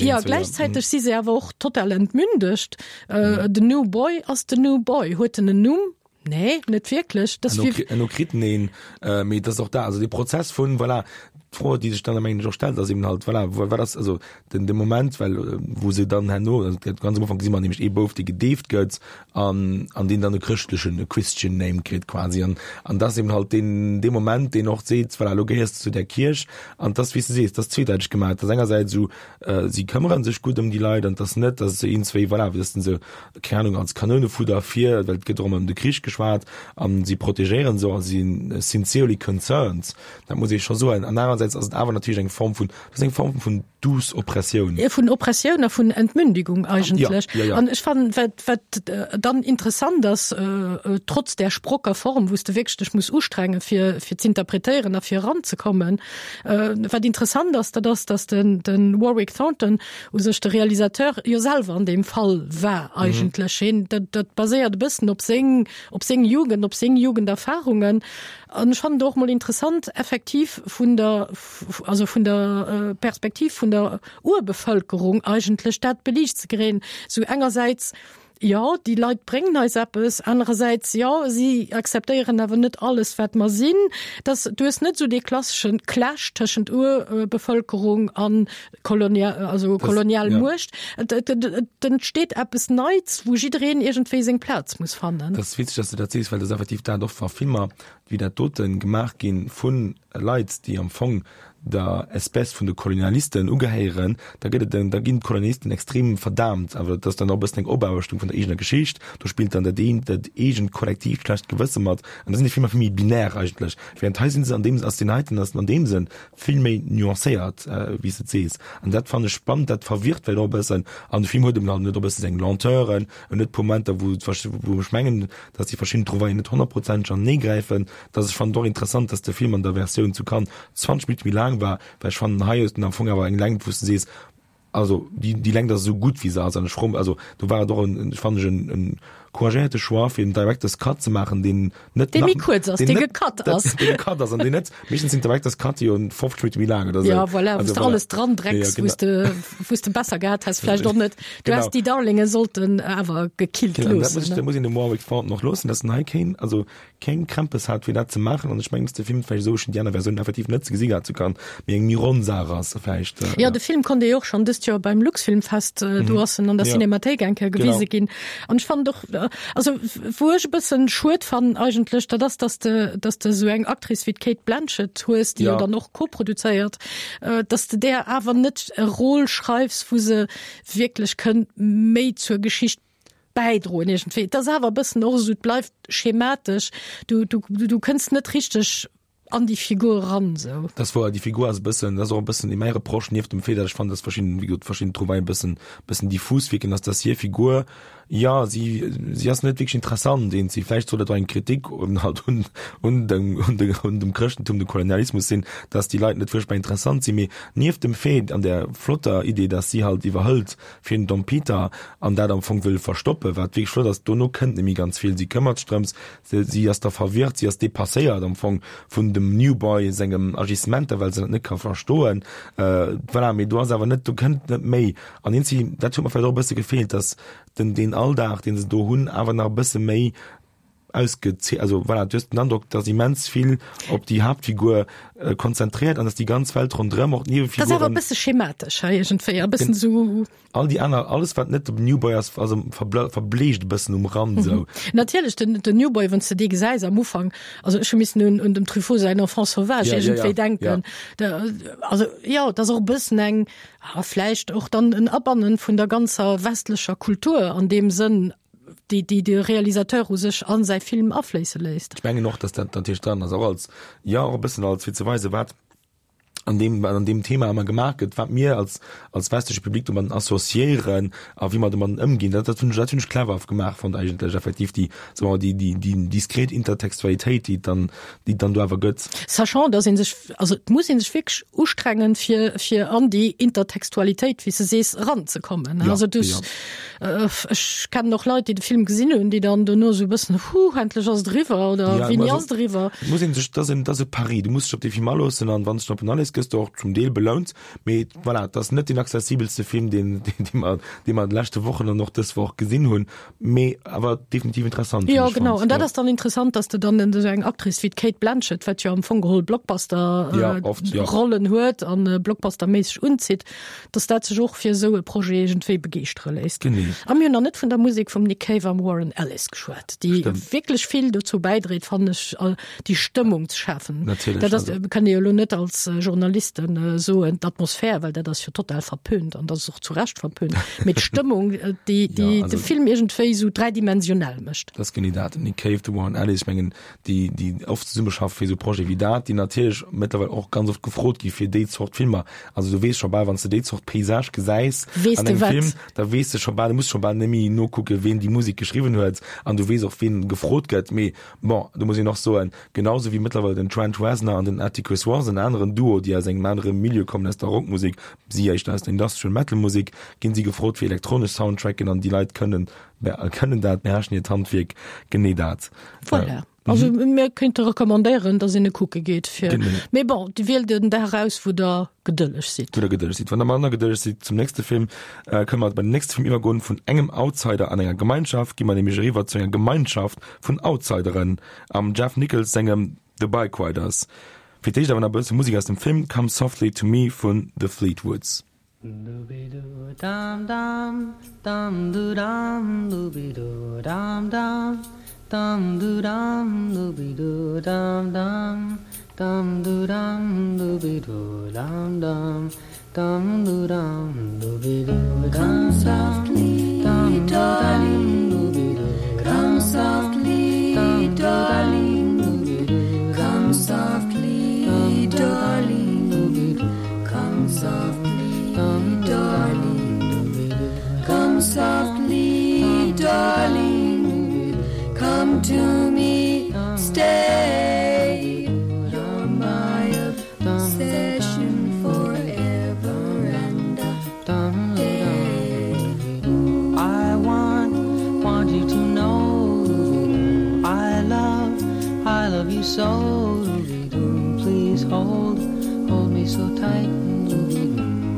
jo, gläichzäiteg si se awer och total entmündegt. Den New Boy ass den New Boy. Huet en en Numm? Nee, net wierklech. Das wie Elo kritt en een, äh, mee das och da, also de Prozess vun, voilà, d'Fro, déi sech dann am Englech och stellt, ass eben halt, voilà, wat ass, also den, de Moment, well wou se dann herno, also ganz am Ufank gesi mer nämlech ee Bouf, dee gedeeft gëtt an, an deen dann e chrëschtlechen, e Christian Name kritt quasi an, an das eben halt deen, dee Moment, deen och seet, voilà, elo gehéiers de zu där Kierch an das, wéi s de sees, das zweedeiteg gemaach, dass engersäits esou, äh, si këmmere sech gutt ëm déi Leit an dass net, dass se een, zwéi, voilà, wéi dass den se, keng Ahnung, als Kanounefudder fir, well et gëtt och ëmmer ëm de Krich geschwat an si protegéieren se a si sincerely concerned, dat muss ee scho soen. An anerersäits ass et awer natierlech eng Form vun, dat ass eng Form vun douce Oppressioun. Jo, vun Oppressioun a vun Entmündigung eigentlech. Ja, ja, ja. An ech fannen, wat, wat dann interessant ass, trotz där sprocker Form, wou s de wierklech dech muss ustrengen, fir, fir z'interpretéieren a fir eranzekommen, wat interessant ass, dat ass, dass den, den Warwick Thornton, u sech de Realisateur, jo selwer an deem Fall war eigentlech. Hien, dat, dat baséiert e bëssen op seng, op seng Jugend, op seng Jugenderfahrungen. An ech fannen et och mol interessant, effektiv vun der, also vun der Perspektiv vun der Urbevölkerung eigentlech dat beliicht ze kréien. Sou engersäits, jo, déi Leit bréngen eis eppes, anerersäits, jo, si akzeptéieren awer net alles, wat mer sinn. Dass, du hues net esou dee klasseschen Clash tëschent Urbevölkerung an Kolonia, also kolonial Muecht. Et, et, et entsteet eppes Neits, wou jiddereen iergendwéi seng Plaz muss fannen. Dat ass witzeg, dass du dat sees, well dat ass effektiv dat och wa Filmer wéi dat doten gemaach ginn vu Leit, déi am Fong der Espèce vun de Kolonialisten ugehéieren, da gëtt et en, da ginn d'Kolonialisten extrem verdaamt. Awer dat ass dann och e bëssen eng Opaarbechtung vun der eegener Geschicht. Do spillt dann dat eent, dat eegent kollektiivt schlecht Gewësse mat. An da sinn déi Filmer vill méi binär eigentlech. Während hei sinn se an deem, ass deen heiten ass an deem Sënn vill méi nuancéiert, wéi s de et sees. An dat fannen ech spannend, dat verwirrt vläicht och e bëssen. An de Film huet eben halt net och e bësse seng Lenteuren, en huet e puer Momenter, wou wou ech mengen, dass déi verschidden Trouvaillen net honnertprozenteg anenee gräifen. Dass ech fannen et och interessant, dass de Film an der Versioun zu Cannes zwanzeg Minutte méi laang war, well ech fannen hei hues de am Fong awer eng Längt, wou s de sees, also déi déi Längt ass esou gutt wéi se ass an ech fro also do war et och en, fannen ech en en couragéierte Choix fir en Director's Cut ze maachen, deen net Dee nach méi kuerz ass, deen dee net gecut dat ass. dee gecut ass an deen net meeschtens sinn Director's Cut jo fofzeg Minutte méi laang oder Ja, esou. voilà, wou Also s de voilà. alles dran Ja, ja, drecks, wou s genau. de wou s de besser gehat häss, vläicht och net. Du Genau. häss déi Darlinge sollten awer gekillt Genau, an dat loossen, muss ech ne? dat muss een dem Warwick Thornton och loossen, dass en hei keen also keng Krämpes hat fir dat ze maachen an ech mengen, dass de Film vläicht esou, ech hunn déi aner Versioun effektiv net ze gesi gehat zu Cannes, mee eng méi ronn Saach ass vläicht, Jo, ja. de Film konnt ee jo och schonn dëst Joer beim Luxfilmfest, do ass en an der Ja. Cinémathéik eng Kéier Genau. gewise ginn. An ech fannen och, also wou ech e bëssen schued fannen eigentlech, dat ass, dass de, dass de esou eng Actrice wéi d'Cate Blanchett hues, déi jo Ja. dann och koproduzéiert, dass de där awer net e Rôle schreifs, wou se wierklech kënnt méi zur Geschicht bäidroen iergendwéi. Et ass awer e bëssen och esou, et bleift schematesch, du, du, du kënns net richteg an déi Figur eran esou. Dat ass wouer, déi Figur ass e bëssen, dat ass och e bëssen mäi Reproche, nieft dem Fait, datt ech fannen, datt verschidden, wéi gesot, verschidden Trouvaillen e bëssen, bëssen diffus wierken, ass, datt hir Figur, jo, si, si ass net wierklech interessant eenzi. Vläicht soll dat och eng Kritik un halt un, un dem, un de, un dem Chrëschtentum, dem Kolonialismus sinn, datt déi Leit net fuerchtbar interessant sinn. Mee nieft dem Fait an där flotter Idee, datt si halt iwwerhëlt fir den Dom Peter an dat am Fong wëll verstoppen, wat wierklech flott ass, dono kënnt net méi ganz vill. Si këmmert sech drëms, se, si ass da verwirrt, si ass depasséiert am Fong vun dem New Boy sengem Agissementer, well se dat net ka verstoen. Voilà, mee do ass awer net, do kënnt net méi. An eenzi, dat huet mer vläicht och e bësse gefeelt, dass den, deen Alldag, deen se do hunn, awer nach e bësse méi ausgezee, also voilà, du hues den Androck, dass immens vill op déi Haaptfigur konzentriert an dass déi ganz Welt ronderëm, och Dat ass awer e d'Niewefiguren, bësse schematesch hei iergendwéi, e bëssen esou. All déi aner, alles wat net dem New Boy ass, also verbleecht e bëssen um Rand esou. Natierlech, den, den New Boy, wann s de dee gesäis am Ufank, also ech hu missen un, un dem Truffaut säin Enfant sauvage Ja, ja, iergendwéi ja, denken. ja. Da, also jo, et ass och e bëssen eng, ah, vläicht och dann en Abannen vun der ganzer westlecher Kultur an deem Sënn, déi, déi de Realisateur u sech an säi Film afléisse léisst. Ech mengen och, dass dat natierlech dran ass, och als, jo, och e bëssen als fir ze weisen, wat an deem, wat an deem Thema ëmmer gemaach gëtt, wat mir als, als westleche Public domadden associéieren a wéi mer domadden ëmginn. Dat, dat hunn ech, dat hunn ech clever gemaach fonnt eigentlech, effektiv déi, soe mer, déi, déi, déi diskret Intertextualitéit, déi et dann, déi et dann do awer gëtt. Sachant, dass ee sech, also et muss ee sech wierklech ustrengen, fir, fir an déi Intertextualitéit, wéi s de sees, eranzekommen. Ja, Also du, ja. ech kennen och Leit, déi de Film gesinn hunn, déi dann dono esou e bëssen, Huh, endlech ass et eriwwer oder Ja, wéini also, ass et eriwwer? Muss een sech, dat ass en, dat ass e Pari, du muss dech op dee Film aloossen an wann s de op en aléiss, gëss de och zum Deel belount. Mee voilà, et ass net deen accessibelste Film, deen, deen, dee mer, dee mer an de leschte Wochen an och dës Woch gesinn hunn, mee awer definitiv interessant, hunn Jo, ech genau. fonnt. An dat Ja. ass dann interessant, dass de dann esou eng Actrice wéi d'Cate Blanchett, wat jo am Fong geholl Blockbuster, Ja, oft, ja. Rollen huet an blockbusterméisseg unzitt, dass dat sech och fir esou e Projet iergendwéi begeeschtere léisst. Genee. A mir hunn nach net vun der Musek vum Nick Cave am Warren Ellis geschwat, déi Stimmt. wierklech vill dozou bäidréit, fannen ech, déi Stëmmung ze schafen. Natierlech, Dat ass, also. kann ee jo elo net als Journalist Analysten soen, d'Atmosphär, well dat ass jo total verpönt an dat ass och zu Recht verpönt, mee d'Stëmmung, déi déi de Film iergendwéi esou dräidimensionell mécht. Dat ass genee dat. Den Nick Cave, de Warren Ellis, ech mengen, déi déi oft zesummeschaffe fir esou Projete wéi dat, déi natierlech mëttlerweil och ganz oft gefrot gi fir déi Zort Filmer. Also du weess scho bal, wann s de déi Zort Paysage gesäis Weess an de engem wat. Film, da weess de scho bal, du muss scho bal net méi nokucken, ween déi Musek geschriwwen huet an du weess och, ween gefrot gëtt. Mee bon, do muss een och soen, genau sou wéi mëttlerweil den Trent Reznor an den Atticus Ross, en aneren Duo, déi aus engem anere Milieu kommen, aus der Rockmusek, si éischter aus der Industrial Metal Musek, ginn si gefrot fir elektronesch Soundtracken an déi Leit kënnen, kënnen dat, beherrschen hiert Handwierk, genee dat. Voilà. Also mir kéinte recommandéieren, datt een e kucke geet fir. Mee bon, Dir wielt en Dag eraus, wou Der gedëlleg sidd. Wou Der gedëlleg sidd. Wann Der manner gedëlleg sidd zum nächste Film, kënne mer bei den nächste Film iwwergoen. Vun engem Outsider an enger Gemeinschaft gi mer nämlech eriwwer zu enger Gemeinschaft vun Outsideren am Jeff Nichols sengem The Bikeriders. Fir d'éischt awer nach e bësse Musek aus dem Film, Come Softly to Me vun The Fleetwoods. Come softly, darling, come softly, darling, come softly, darling, come softly, darling, come softly, darling, come to me, stay. You're my obsession forever and a day. I want, want you to know I love, I love you so. Please hold, hold me so tight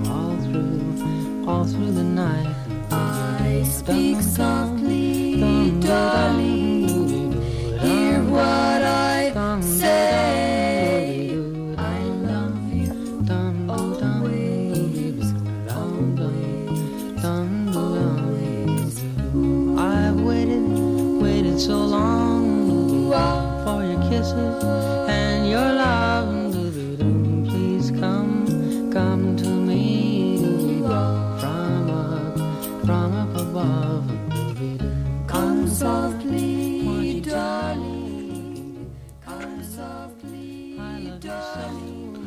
all through, all through the night. I speak softly, darling. Hear what I say. I love you always, always, always. I've waited, waited so long for your kisses and your love. Please come, come to me from up, from up above. Come softly, darling. Come softly, darling.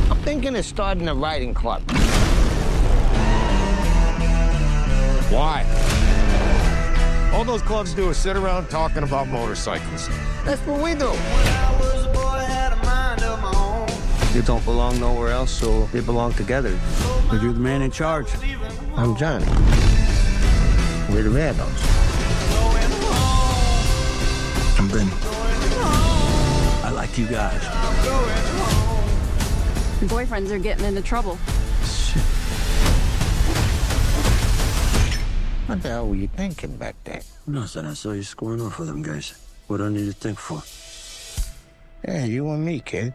I'm thinking of starting a riding club. Why? All those clubs do is sit around talking about motorcycles. That's what we do. You don't belong nowhere else, so we belong together. But you're the man in charge. I'm Johnny. We're the Vandals. I'm Benny. I like you guys. Boyfriends are getting into trouble. What the hell were you thinking back there? Nothing. I saw you scoring off with them guys. What do I need to think for? Yeah, you and me, kid.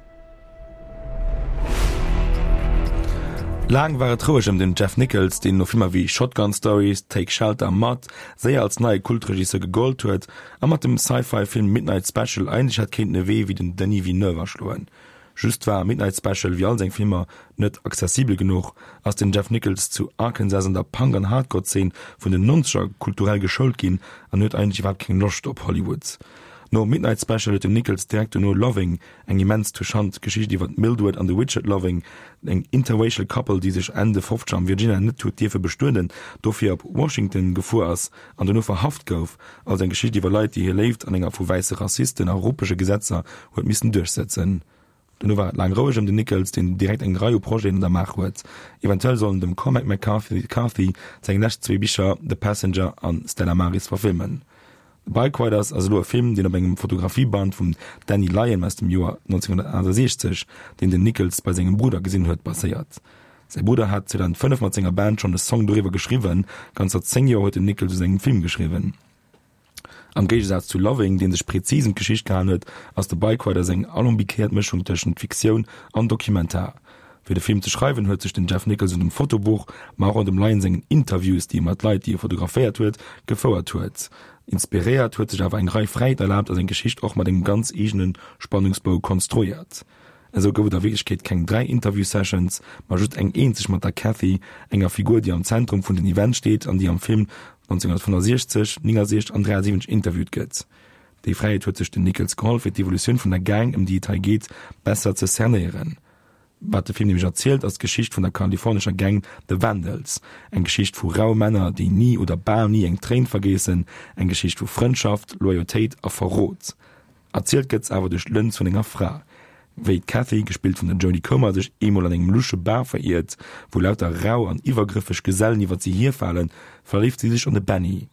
Laang war et roueg ëm den Jeff Nichols, deen no Filmer wéi Shotgun Stories, Take Shelter a Mud séier als neie Kultregisseur gegollt huet a mat dem Sci-Fi-Film Midnight Special eigentlech hätt kéinten e Wee wéi den Denis Villeneuve aschloen. Just war Midnight Special, wéi all seng Filmer, net accessibel genuch, ass den Jeff Nichols zu Arkansas an der Punk an Hardcore-Zeen vun den Nonzeger kulturell geschoult ginn an huet eigentlech iwwerhaapt keng Loscht op Hollywood. No Midnight Special huet den Nichols direkt dono Loving, eng immens touchant Geschicht iwwer d'Mildred an de Richard Loving, eng interracial Couple, déi sech Enn de Fofzeger am Virginia net huet dierfe bestueden, dofir op Washington gefuer ass an dono verhaft gouf, also eng Geschicht iwwer Leit, déi hir Léift an enger vu wäisse Rassisten a ruppege Gesetzer huet missen duerchsetzen. Dono war et laang roueg ëm den Nichols, deen direkt eng Rei u Projeten an der Maach huet. Eventuell sollen dem Cormac McCarthy seng lescht zwee Bicher The Passenger an Stella Maris verfilmen. The Bikeriders ass elo e Film, deen op engem Fotografieband vum Danny Lyon aus dem Joer nonzénghunnertaachtasechzeg, deen den Nichols bei sengem Brudder gesinn huet, baséiert. Säi Brudder hat zweedausendfënnef mat senger Band schonn e Song doriwwer geschriwwen. Ganzer zéng Joer huet den Nichols u sengem Film geschriwwen. Am Géigesaz zu Loving, dee sech prezis ëm d'Geschicht gehalen huet, ass The Bikeriders eng alambiquéiert Mëschung tëschent Fiktioun an Dokumentar. Fir de Film ze schreiwen huet sech den Jeff Nichols un dem Fotobuch, ma och un dem Lyon sengen Interviews, déi e mat Leit, déi e fotograféiert huet, gefouert huet, inspiréiert, huet sech awer eng Rei Fräiheet erlaabt a seng Geschicht och mat engem ganz eegene Spannungsbou konstruéiert. Esou gouf et a Wierklechkeet keng dräi Interview-Sessions, ma just eng eenzeg mat der Cathy, enger Figur, déi am Zentrum vun den Events steet an déi am Film neunzehnhundertfünfundsechzeg, neunundsechzeg an dräiundsiwwenzeg interviewt gëtt. Déi Fräiheet huet sech den Nichols geholl, fir d'Evolutioun vun der Gang, ëm déi et hei geet, besser ze cernéieren. Wat de Film nämlech erzielt, ass d'Geschicht vun der kalifornescher Gang The Vandals, eng Geschicht vu raue Männer, déi ni oder bal ni eng Tréin vergéissen, eng Geschicht vu Frëndschaft, Loyautéit a Verrot. Erzielt gëtt se awer duerch d'Lëns vun enger Fra. Wéi d'Cathy, gespillt vun der Jodie Comer, sech eemol an engem lusche Bar veriert, wou lauter rau an iwwergrëffeg Gesellen iwwer si hierfalen, verléift si sech an de Benny.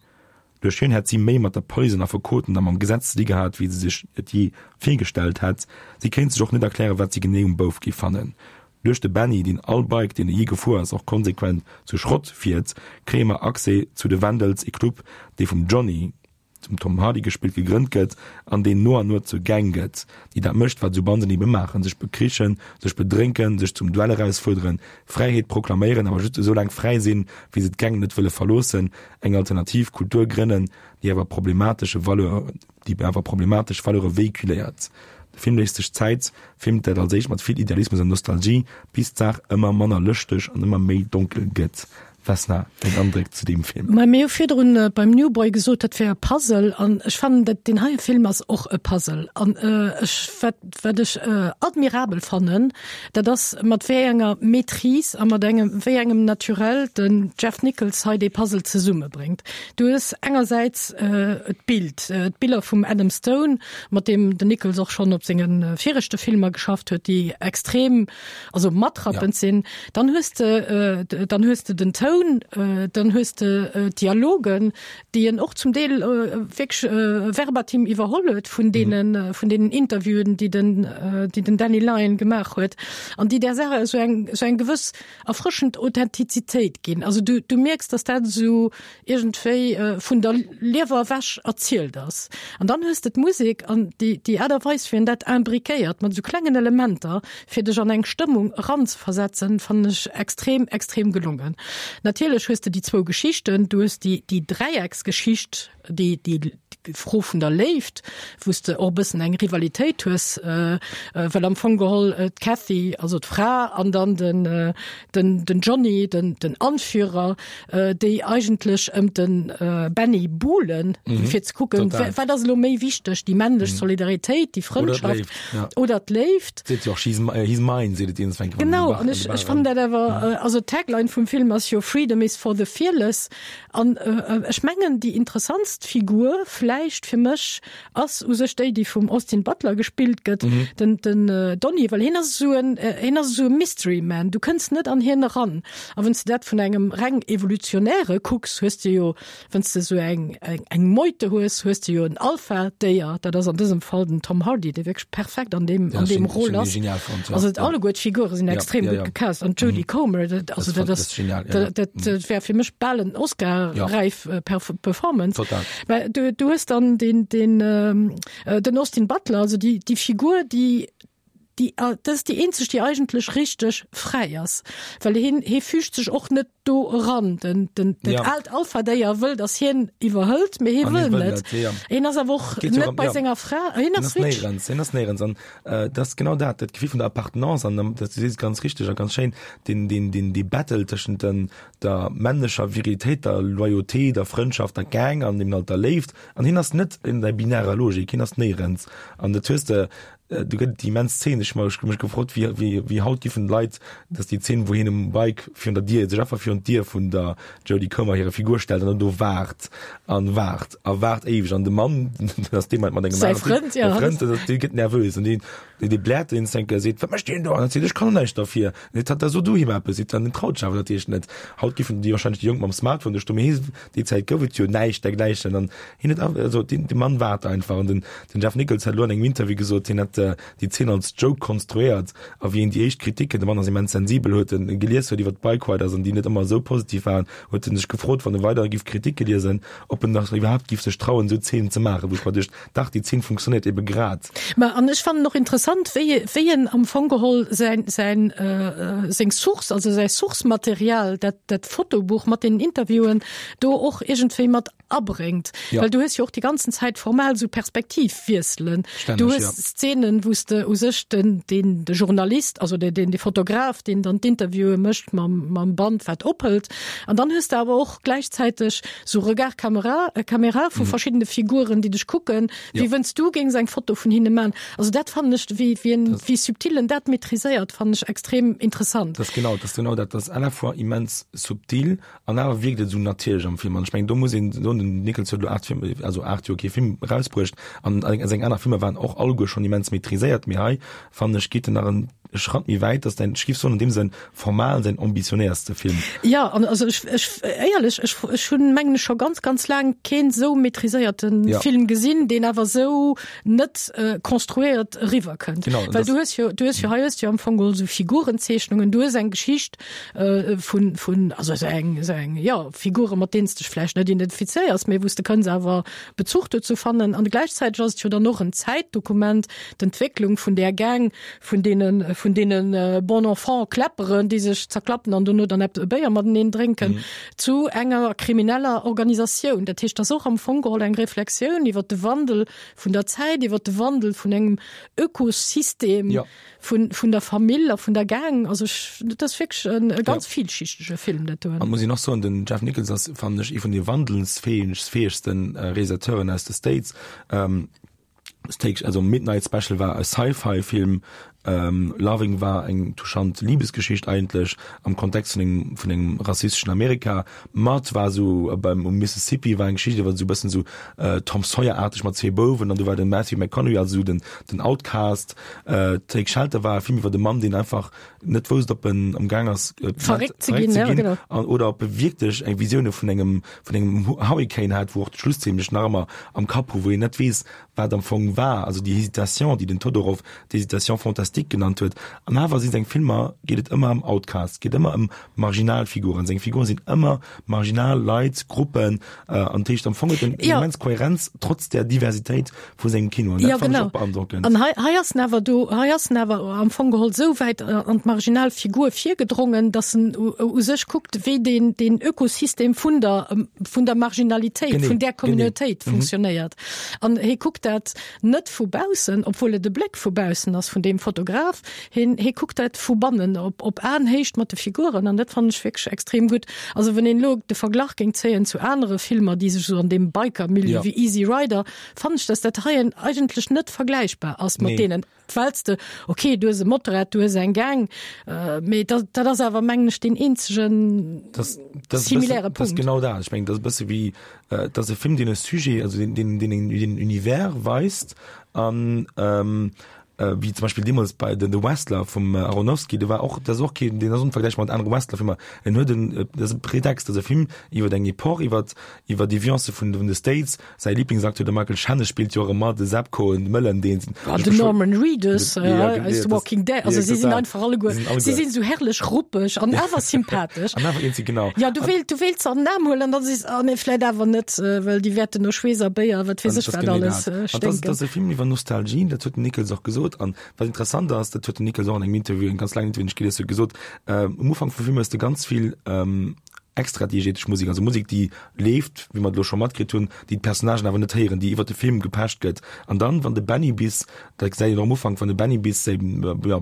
Duerch hien hätt si méi mat der Police an Affekoten a mam Gesetz ze di gehat, wéi se sech et jee virgestallt hätt. Si kéint sech och net erklären, wat si genee um Bouf géif fannen. Duerch de Benny, deen all Bike, deen e jee gefuer ass, och konsequent zu Schrott fiert, kréie mer Accès zu de Vandals, e Club, dee vum Johnny, zum Tom Hardy gespillt, gegrënnt gëtt an deen no an no zur Gang gëtt, déi dat mécht, wat esou Banden ebe maachen, sech bekrichen, sech bedrénken, sech zum Duell erausfuerderen, Fräiheet proklaméieren, awer just esou laang fräi sinn, wéi se d'Gang net wëlle verloossen, eng alternativ Kultur grënnen, déi awer problematesche Valeur, déi awer problematesch Valeure véhiculéiert. De Film léisst sech Zäit, filmt dat als éischt mat vill Idealismus an Nostalgie, bis d'Saach ëmmer manner lëschteg an ëmmer méi donkel gëtt. Vesna, deng Andréck zu deem Film? Ma mir hu virdrun beim New Boy gesot, dat wär e Puzzle an ech fannen, dat deen heie Film ass och e Puzzle. An ech, wat, wat ech admirabel fannen, dat ass mat wéi enger Maîtrise a mat engem, wéi engem Naturel den Jeff Nichols hei dee Puzzle zesummebréngt. Du hues engersäits d'Bild, d'Biller vum Adam Stone, mat deem den Nichols och schonn op senge viregte Filmer geschafft huet, déi extrem, also matrappend sinn. Dann hues de, dann hues de den Toun, dann hues de d'Dialogen, déi en och zum Deel wierklech verbatim iwwerholl huet vun deenen, vun deenen Interviewen, déi den, déi den Danny Lyon gemaach huet an déi där Saach esou eng, esou eng gewëss erfrëschend Authentizitéit ginn. Also du, du mierks, dass dat esou iergendwéi vun der Liewer ewech erzielt ass. An dann hues de d'Musek an déi, déi Aart a Weis, wéi en dat imbriquéiert mat esou klengen Elementer, fir dech an eng Stëmmung eranzeversetzen, fannen ech extrem, extrem gelongen. Natierlech hues de déi zwou Geschichten, du hues déi, déi Dräiecksgeschicht, déi, déi Fro vun der Léift, wou s de och e bëssen eng Rivalitéit hues, well am Fong geholl d'Cathy, also d'Fra, an dann den, den, den Johnny, den, den Anführer, déi eigentlech ëm de Benny buhlen, fir ze kucken, wat ass elo méi wichteg, déi männlech Solidaritéit, déi Frëndschaft oder d'Léift. Seet jo och, she's, he's mine, seet et iergendwann. Genau, an ech, ech fannen dat awer, also d'Tagline vum Film ass jo Freedom is for the fearless. An ech mengen, déi interessantst Figur vläicht fir mech ass u sech déi, déi vum Austin Butler gespillt gëtt, den, den Donny, well hien ass esou en, hien ass esou e Mystery Man, du kënns net an hien eran. A wann s de dat vun engem reng evolutionäre kucks, hues de jo, wann s de esou eng, eng, eng Meute hues, hues de jo en Alpha-Déier, dat ass an dësem Fall den Tom Hardy, dee wierklech perfekt an deem, an deem Rôle ass. Also alleguer d'Figure sinn extrem gutt gecast. An d'Jodie Comer, dat, also dat ass, dat, dat wär fir mech bal en Oscar-räif Performance. Total. Mä du, du hues dann den, den, den Austin Butler, also déi, déi Figur, déi, déi, dat ass déi eenzeg, déi eigentlech richteg fräi ass, well hien, hie füügt sech och net do eran. Den, den, dat Ja. aalt Alpha-Déier wëll, datt hien iwwerhëlt, mee hie An hie wëll wëll net. net, ja. Hien ass awer och Geet jo net ëm- bei ja. senger Fra, hien Hien ass ass wierklech. néierens, hien ass néierens. An äh, dat ass genau dat, dat Gefill vun der Appartenance an dat, du sees et ganz richteg a ganz schéin, den, den, den, dee Battle tëschent den, der männlecher Viritéit, der Loyauté, der Frëndschaft, der Gang an eben halt der Léift. An hien ass net in der binärer Logik, hien ass néierens. An dat hues de, do gëtt et déi immens Zeen, ech hu mech gefrot, wéi, wéi, wéi haut giffen d'Leit, dat ass déi Zeen, wou hien um Bike virun der Dier, sech einfach virun d'Dier vun der Jodie Comer hire Figur stellt an dann do waart an waart a waart éiweg an de Mann, dat ass dee mat engem Säi aneren Typ, Frënd, ja. de Frënd, dat ass, dee gëtt nervös an deen, dee, dee bläert deen enke, seet, wat mécht deen do? An dann seet, ech kann näischt derfir. An seet hatt, da so du him eppes. Seet dann, den traut sech awer natierlech net. Haut giffen déi wahrscheinlech déi Jonk mam Smartphone do stoen, mee hie, déi Zäit gouf et jo näischt dergläichen an hien huet, also deen, de Mann waart einfach an den, den Jeff Nichols hat elo an engem Interview gesot, hien hätt Réalisateur déi Zeen als Joke konstruéiert a wéi en déi éischt Kritiken, de Mann ass immens sensibel, huet en gelies huet iwwer d'Bike Riders an déi net ëmmer esou positiv waren, huet en sech gefrot, wann e weider giff Kritike liesen, ob en nach iwwerhaapt giff sech trauen, esou Zeenen ze maachen, wou ech mer duecht, dach, déi Zeen funktionéiert ebe grad. Ma an ech fannen och interessant, wéi wéi en am Fong geholl säin säin seng Source, also säi Source-Material, dat dat Fotobuch mat den Interviewen do och iergendwéi mat abréngt. Ja. Well du hues jo och déi ganzen Zäit formal esou Perspektivwiesselen. Stänneg, Du hues ja. Szenen, wou s de u sech den den de Journalist, also de den de Fotograf, deen dann d'Interviewe mécht mam mam Band wat ophëlt. An dann hues de awer och gläichzäiteg sou Regard Kamera äh, Kamera vu verschiddene Figuren, déi dech kucken, Ja. wéi wënns du géings eng Foto vun hinne man. Also dat fannen ech, wéi wéi en wéi subtil en dat maîtriséiert, fannen ech extrem interessant. Dat ass genau, dat ass genau dat, dat ass à la fois immens subtil an awer wierkt et esou natierlech am Film. An ech mengen, do muss een soen, den Nicholson huet elo aacht Film, also aacht Joer kee Film erausbruecht an seng aner Filmer waren och alleguer schonn immens maîtriséiert, mee hei fannen ech geet en nach en Schratt méi wäit, dat ass däin, ech géif soen, an deem Sënn formal säin ambitionéierste Film. Jo, an also ech, ech, éierlech, ech, ech hunn, mengen ech, scho ganz, ganz laang keen esou maîtriséierte Ja. Film gesinn, deen awer esou net konstruéiert eriwwerkënnt. Genau, Well das- du hues jo, du hues jo, hei hues du jo am Fong geholl esou Figurenzeechnungen, du hues eng Geschicht vun, vun, also esou eng, esou eng, jo, Figure mat deenen s de dech vläicht net identifizéiers, mee wou s de kënns awer Bezuch dozou fannen. An gläichzäiteg ass et jo dann och en Zäitdokument, d'Entwécklung vun där Gang, vun deenen, vun deenen Bon Enfant Kläpperen, déi sech zerklappen an dono dann eppes e Béier mateneen drénken, zu enger krimineller Organisatioun. Dat heescht, dat ass och am Fong geholl eng Reflexioun iwwer de Wandel vun der Zäit, iwwer de Wandel vun engem Ökosystem Ja. vun, vun der Famill a vun der Gang. Also ech, dat ass wierklech en e ganz Ja. vielschichtege Film, dat doen. An muss een och soen, den Jeff Nichols ass, fannen ech, ee vun de wandelsfäegsten Realisateuren aus de States. Ähm, Take, also Midnight Special war e Sci-Fi-Film, ähm, Loving war eng touchant Liebesgeschicht eigentlech am Kontext vun engem, vun engem rassisteschen Amerika. Mud war sou beim um Mississippi, war eng Geschicht iwwer sou bëssen sou äh, Tom Sawyer-aarteg mat zwee Bouwen an do war den Matthew McConaughey als sou den, den Outcast. Äh, Take Shelter war e Film iwwer de Mann, deen einfach net wousst, ob en am Gaang ass äh, Verréckt ze ginn, ze ja, ginn genau. an, oder ob e wierklech eng Visioune vun engem, vun engem Hurricane hat, wou och d'Schlusszeen mech nach ëmmer am Kapp hu, wou een net weess, wat am Fong war, also déi Hésitation, déi den Todorov d'Hésitation fantastique genannt huet. An awer si seng Filmer, geet et ëmmer ëm Outcasts, geet ëmmer ëm marginal Figuren. Seng Figuren sinn ëmmer marginal Leit, Gruppen, an dat heescht am Fong huet en Ja. immens Kohärenz trotz der Diversitéit vu sengem Kino. An dat Ja, fannen ech genau. och beandrockend. An hei, hei ass en awer do, hei ass en awer am Fong geholl esou wäit an d'marginal Figur virgedrongen, dass en u, u sech kuckt, wéi den, den Ökosystem vun der, vun der Marginalitéit, Genee, vun där genee. Communautéit Mhm. funktionéiert. An hie kuckt dat net vu baussen, obwuel et de Bléck vu baussen ass vun deem Fotograf, hien, hie kuckt dat vu bannen, op, op Aenhéicht mat de Figuren, an dat fannen ech wierklech extrem gutt. Also wann een elo de Verglach géing zéien zu anere Filmer, déi sech sou an deem Biker-Milieu Ja. wéi Easy Rider, fannen ech, dass dat hei eigentlech net vergläichbar ass mat Nee. deenen. Well s de, okay, du hues e Motorrad, du hues eng Gang, äh, mee dat, dat ass awer mengen ech deen eenzegen Das, das similäre bëssen, das Punkt. genau dat. Ech mengen, dat ass e bësse wéi, äh, dat ass e Film, deen e Sujet, also deen, deen, deen en, den Univers weist an, ähm, äh, wéi zum Beispill deemools bei den The Wrestler vum äh, Aronofsky, do war och, dat ass och keen, deen ass onvergläichbar mat anere Wrestler-Filmer. En huet en, äh, dat ass e Pretext, dat ass e Film iwwer eng Epoch, iwwer, iwwer Deviance vun, vun de States. Säi Lieblingsacteur, de Michael Shannon, spillt jo och ëmmer de Zabko, de Mëllen, deen Ah, den Norman Reedus Ja, äh, ja, aus The das- Walking Dead. Also ja, si sinn total. einfach alleguer, Si sinn alleguer. si sinn sou herrlech ruppeg an awer sympathesch. An awer eenzeg, genau. Ja, du wéilt, du wéilts se an den Aarm huelen an dann sees, ah, nee, vläit awer net, äh, well déi wäerten no Schweess a Béier, wat weess An ech das wat genee alles, dat. äh, An das, sténken. das ass e Film iwwer Nostalgie, dat huet den Nichols och gesot. An wat interessant ass, dat huet den Nichols och an engem Interview, engem ganz laangen Interview, deen ech gelies hunn, gesot, ähm, um Ufank vum Film hues de ganz vill, ähm, extradiegetesch Musek, also Musek, déi leeft, wéi mer et elo scho matkritt hunn, déi d'Personnagen awer net héieren, déi iwwer de Film gepecht gëtt. An dann, wann de Benny bis, dat gesäit een och am Ufank, wann de Benny bis eben, ja,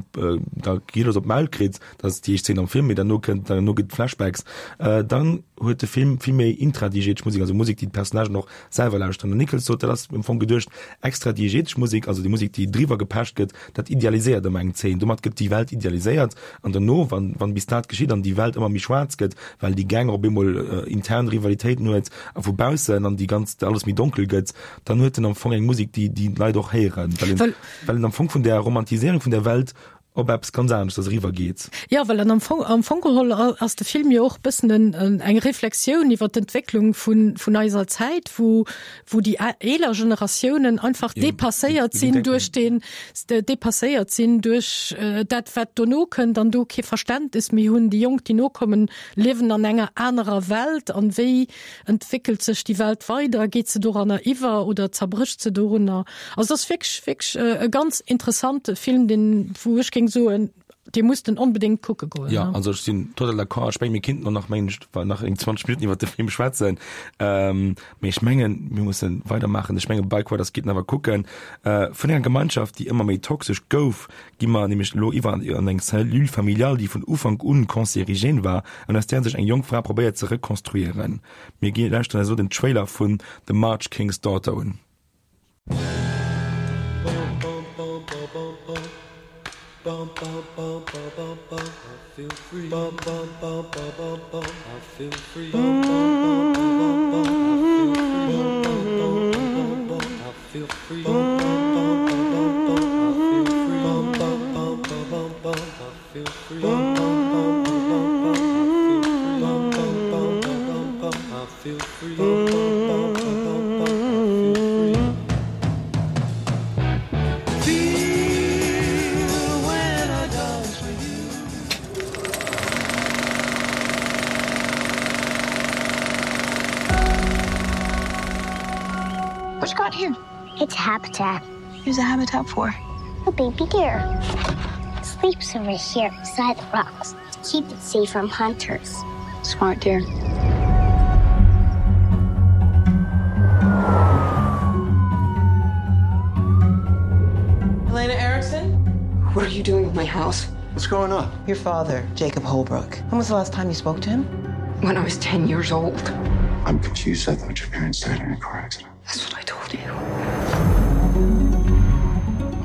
da Kilos op d'Maul kritt, dat ass déi éischt Zeen am Film, mee derno kënnt, derno gëtt Flashbacks, äh, dann huet de Film vill méi intradiegetesch Musek, also Musek, déi d'Personnagen och selwer lauschteren. Den Nichols sot, dat ass am Fong geduecht, extradiegetesch Musek, also déi Musek, déi driwwer gepecht gëtt, dat idealiséiert ëmmer eng Zeen. Domat gëtt déi Welt idealiséiert an derno, wann, wann bis dat geschitt an déi Welt ëmmer méi schwaarz gëtt, well déi Gang op eemol äh, intern Rivalitéiten huet a vu baussen an déi ganz alles méi donkel gëtt, dann huet en am Fong eng Musek, déi déi d'Leit och héieren, well en, Well well en am Fong vun der Romantiséierung vun der Welt op eppes ganz aneschters eriwwer geet. Jo, well an am Fong, am Fong geholl ass de Film jo och bëssen en, en, eng Reflexioun iwwer d'Entwécklung vun, vun eiser Zäit, wou, wou déi eeler Generatiounen einfach ja, depasséiert sinn duerch den, depasséiert sinn duerch äh, dat wat dono kënnt an do kee Verständnis méi hunn. Déi Jonk, déi nokommen, liewen an enger anerer Welt an wéi entwéckelt sech déi Welt weider, geet se doranner iwwer oder zerbrécht se dorunner? Also dat ass wierklech, wierklech äh, e ganz interessante Film, deen, wou ech géing soen, dee muss den onbedéngt kucke goen. Ja, also ech sinn total d'accord. Ech mengen, mir kinnten och nach mengen ech nach eng zwanzeg Minutten iwwer de Film schwätzen. Ähm, mee ech mengen, mir musse weidermaachen. Ech mengen, Bike Riders gitt en awer kucken. Äh, vun enger Gemeinschaft, déi ëmmer méi toxesch gouf, gi mer nämlech elo iwwer an eng Cellule familiale, déi vun Ufank un cancérigène war an aus där sech eng jonk Fra probéiert ze rekonstruieren. Mir gi lauschteren eis elo den Trailer vun The March King's Daughter un. What you got here? It's a habitat. Here's a habitat for? A baby deer. It sleeps over here beside the rocks to keep it safe from hunters. Smart deer. Helena Erickson? What are you doing with my house? What's going on? Your father, Jacob Holbrook. When was the last time you spoke to him? When I was ten years old. I'm confused. I thought your parents died in a car accident. That's what I told you.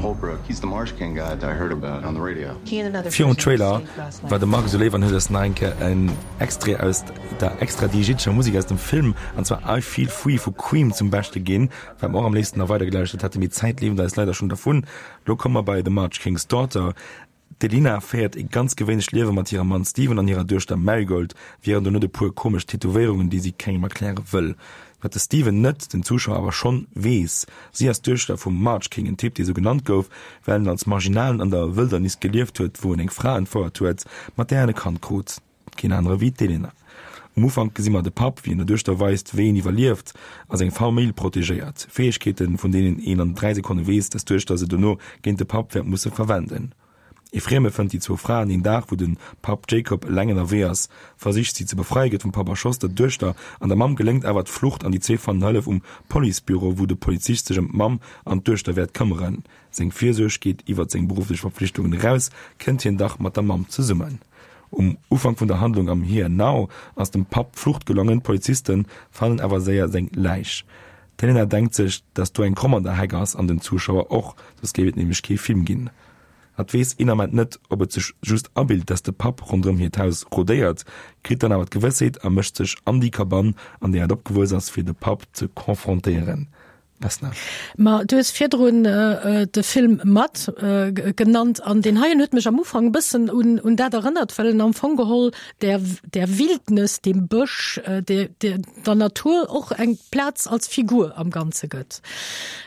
Holbrook, he's the Marsh King guy that I heard about on the radio. Virum Trailer war de Marc esou léif an huet eis nach eng Kéier en Extrait aus der extradiegitescher Musek aus dem Film, an zwar I Feel Free vu Cream zum Beschte ginn, wat mer och am léifsten nach weider gelauschtert hätten, mee d'Zäit leeft eis leider schonn dervun. Lo komme mer bei The March King's Daughter. D'Elina féiert e ganz gewéinlecht Liewe mat hirem Mann Steven an hirer Duechter Marigold, wieren do net e puer komesch Tätowéierungen, déi si kengem erkläre wëll. Wat de Steven net, den Zuschauer awer schonn, weess, Si ass d'Duechter vum March King, en Typ, dee sou genannt gouf, well en als Marginalen an der Wëldernis gelieft huet, wou en eng Fra entfouert huet, mat där en e Kand krut. Keen anere wéi d'Elena. Um Ufank gesi mer de Papp, wéi en der Duechter weist, wéi een iwwerlieft a seng Famill protegéiert. Fäegkeeten, vun deenen een an dräi Sekonne weess, dass d'Duechter se dono géint de Papp wäert musse verwenden. Ee Frieme fënnt déi zwou Fraen een Dag, wou de Papp Jacob eleng ënnerwee ass, versicht si ze befreien, gëtt vum Papp erschoss. Der Duechter an der Mamm geléngt awer d'Flucht an déi zwee fannen Hëllef um Policebüro, wou de Polizist sech ëm d'Mamm an d'Duechter wäert këmmeren. Seng Virsuerg geet iwwert seng berufflech Verpflichtungen eraus, kënnt hien dach mat der Mamm zesummen. Um Ufank vun der Handlung am Here and Now ass dem Papp d'Flucht gelongen, d'Poliziste fannen awer séier seng Läich. D'Helena denkt sech, dass do eng Kromm an der Heck ass, an den Zuschauer och, soss géif et nämlech kee Film ginn. Hatt weess een Ament net, ob et sech just abilt, dass de Papp ronderëm hiert Haus rodéiert, kritt dann awer d'Gewëssheet a mécht sech an déi Kabann, an där hatt opgewuess ass, fir de Papp ze confrontéieren. Vesna. Ma du hues virdrun de Film Mud genannt an deen heien huet mech am Ufank e bëssen un un dat erënnert, well en am Fong geholl der der Wildnis, dem Bësch, der der der Natur och eng Plaz als Figur am Ganze gëtt.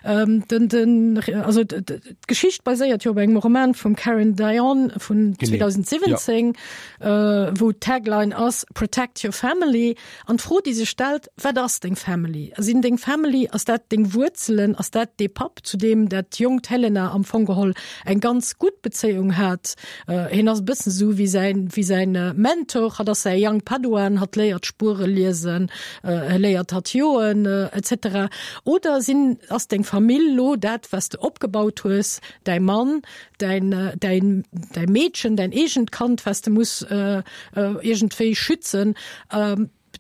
Den den also d'Geschicht baséiert jo op engem Roman vum Karen Dionne vun zweedausendsiwwenzéng, wou d'Tagline ass Protect your family. An d'Fro, déi sech stellt, Wat ass deng Family? Sinn deng Family, ass dat deng Wuerzelen, ass dat dee Papp, zu deem dat jonkt Helena am Fong geholl eng ganz gutt Bezéiung hat? Hien ass e bëssen esou wéi säin, wéi säin Mentor, hatt ass säi Young Padawan, hatt léiert Spuere liesen, hie léiert hatt joen, et cetera. Oder sinn, ass deng Famill lo dat, wat s de opgebaut hues, däi Mann, däin, däin, däi Meedchen, däin eegent Kand, wat s de muss iergendwéi schützen?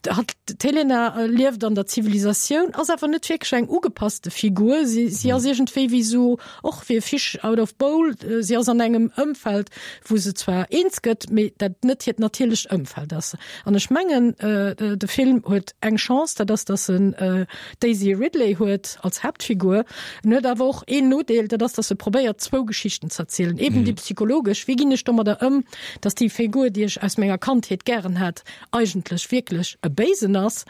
Hatt D'Helena lieft an der Zivilisatioun, ass awer net wierklech eng ugepasste Figur. Si, si ass iergendwéi wéi sou, och wéi e Fish out of bowl, si ass an engem Ëmfeld, wou se zwar eens gëtt, mee dat net hiert natierlecht Ëmfeld ass. An ech mengen, de Film huet eng Chance, dat ass, dass en d'Daisy Ridley huet als Haaptfigur. En huet awer och een Nodeel, dat ass, dass e probéiert, zwou Geschichten ze erzielen, eben déi psychologesch, wéi ginn ech domadder ëm, dass déi Figur, déi ech aus menger Kandheet gären hat, eigentlech wierklech e Béisen ass.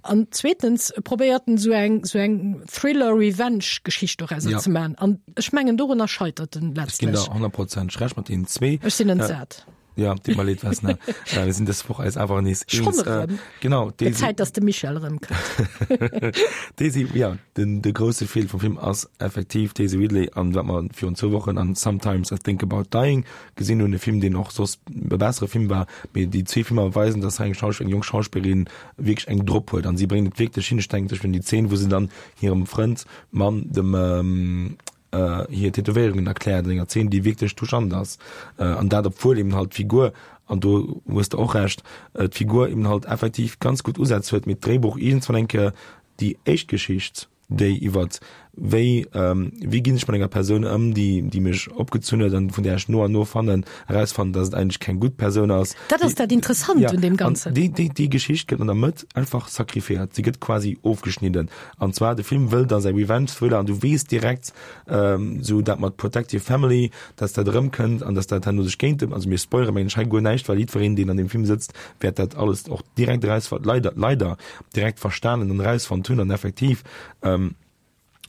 An zweetens probéiert en esou eng, esou eng Thriller-Revenge-Geschicht dorauser Ja. ze maachen. An ech mengen, dorunner scheitert en Ech ginn letztlech. der honnert Prozent Recht mat deenen zwee. Ech sinn entsat. Ja, deet mer leed, Vesna. Äh, mir sinn dës Woch eis awer nees Schonn eens. Äh, erëm. genau, Gëtt Daisy, Zäit, dass de Michel erëmkënnt. Daisy, ja, den, de grousse Feel vum Film ass effektiv Daisy Ridley an wat mer virun zwou Wochen an Sometimes I Think About Dying gesinn hunn, e Film, deen och soss e bessere Film war, mee déi zwee Filmer weisen, dass hei eng Schauspiel, eng jonk Schauspillerin wierklech eng drop huet an si bréngt et wierklech hin. Ech denken zum Beispill un déi Zeen, wou se dann hirem Frënd, Mann, dem, ähm, äh, hir Tätowéierungen erkläert an enger Zeen, déi wierklech touchant ass. Äh, an dat obwuel eben halt d'Figur, an do hues de och Recht, äh, d'Figur eben halt effektiv ganz gutt Usätz huet, mee d'Dréibuch iergendswann eng Kéier déi éischt Geschicht, déi iwwert wéi ähm, wéi ginn ech mat enger Persoun ëm, déi déi mech opgezunn huet an vun där ech no an no fannen erausfannen, dass et eigentlech keng gutt Persoun ass. Dat ass dat Interessant Ja, un deem an Ganzen. déi, déi, déi Geschicht gëtt an der Mëtt einfach sacrifiéiert. Si gëtt quasi ofgeschnidden. An zwar de Film wëll da säi Revenge-Thriller an du weess direkt ähm, sou dat mat Protect Your Family, dass dat erëmkënnt an dass dat herno sech géint dem, also mir spoilere mengen ech hei guer näischt, well jiddwereen, deen an deem Film sëtzt, wäert dat alles och direkt erausfannen, leider, leider direkt verstanen an erausfonnt hunn an effektiv ähm,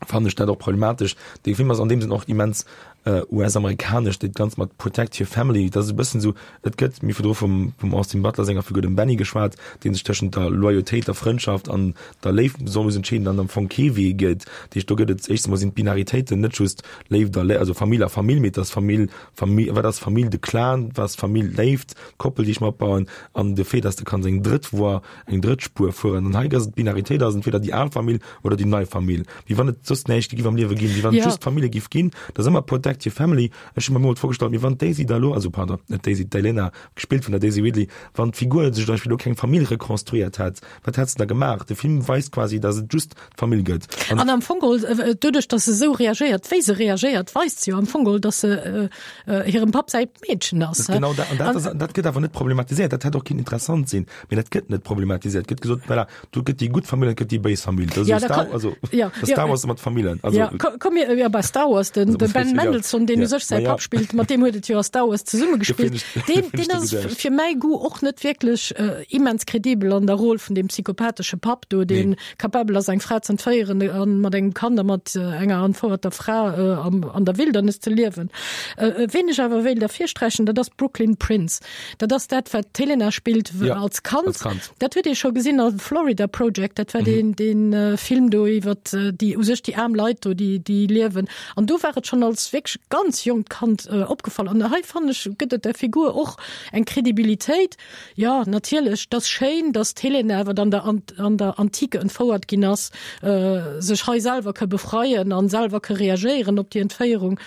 fannen ech dat och problematesch. De Film ass an deem Sënn och immens äh, U S-amerikanesch, dat Ganzt mat Protect Your Family, dat ass e bëssen esou, et gëtt, mir virdru vum, vum Austin Butler senger Figur, dem Benny, geschwat, dee sech tëschent der Loyautéit, der Frëndschaft an der Léift soll muss entscheeden an am Fong kee Wee gëtt. Dat heescht, do gëtt et éischtens emol sinn d'Binaritéiten net just Léift a Lé, also Famill a Famill, mee et ass Famill, Famill, wat ass Famill, de Clan, wat ass Famill, Léift, d'Koppel, déi ech mer opbauen, an de Fait, dass de kanns eng drëtt Voie, eng drëtt Spuer fueren. An hei ass et d'Binaritéit ass entweder déi al Famill oder déi nei Famill. Wéi wann et soss näischt giff am Liewe ginn, wéi wann et Ja. just Famille giff ginn. Dat ass ëmmer Protect your family. Ech hu mer emol d'Fro gestallt, mee wann d'Daisy da lo, also pardon, net d'Daisy, d'Elena, gespillt vun der Daisy Ridley, wann d'Figur sech zum Beispill lo keng Famill rekonstruiert hätt, wat hätt se da gemaach? De Film weist quasi, dass et just d'Famill gëtt. An am Fong geholl, äh, doduerch, dass se esou reagéiert, wéi se reagéiert, weist se jo am Fong geholl, dass se äh, äh, hirem Papp säi Meedchen ass. Das genau dat, an dat, ass, dat gëtt awer net problematiséiert. Dat hätt och kinnt interessant sinn, mee dat gëtt net problematiséiert. Gëtt gesot, voilà, do gëtt déi gutt Famill, et gëtt déi béis Famill. Dat ass Ja, esou da Star, kann, also, ja, das ja, Star Wars mat Famillen. Also, ja, komm, komm mir, ja, bei Star Wars, den, Also, de Ben ja. Mendelsohn, deen Ja. u sech säi Ma ja. Papp spillt, mat deem huet et jo a Star Wars zesumme gespillt. Deen, Deen, deen ass fir mäi Goût och net wierklech äh, immens kredibel an der Roll vun deem psychopathesche Papp do, deen Nee. kapabel ass eng Fra ze entféieren an mat engem Kand a mat äh, enger entfouerter Fra äh, am, an der Wildernis ze liewen. Äh, äh, ween ech awer wéilt ervirsträichen, dat ass Brooklyn Prince. Dat ass dat, wat d'Helena spillt Ja, als Kand. als Kand. Dat huet ee scho gesinn a Florida Project, dat war Mhm. den, den äh, Film do iwwer äh, déi u sech déi aarm Leit do, déi, déi liewen. An do war et schonn als wierklech ganz jonkt Kand äh, opgefall. An hei fannen ech gëtt et der Figur och eng Kredibilitéit. Ja, natierlech, dat ass schéin, dass d'Helena awer dann der, an, an der Antike entfouert ginn ass, äh, sech hei selwer ka befreien an selwer ka reagéieren op déi Entféierung.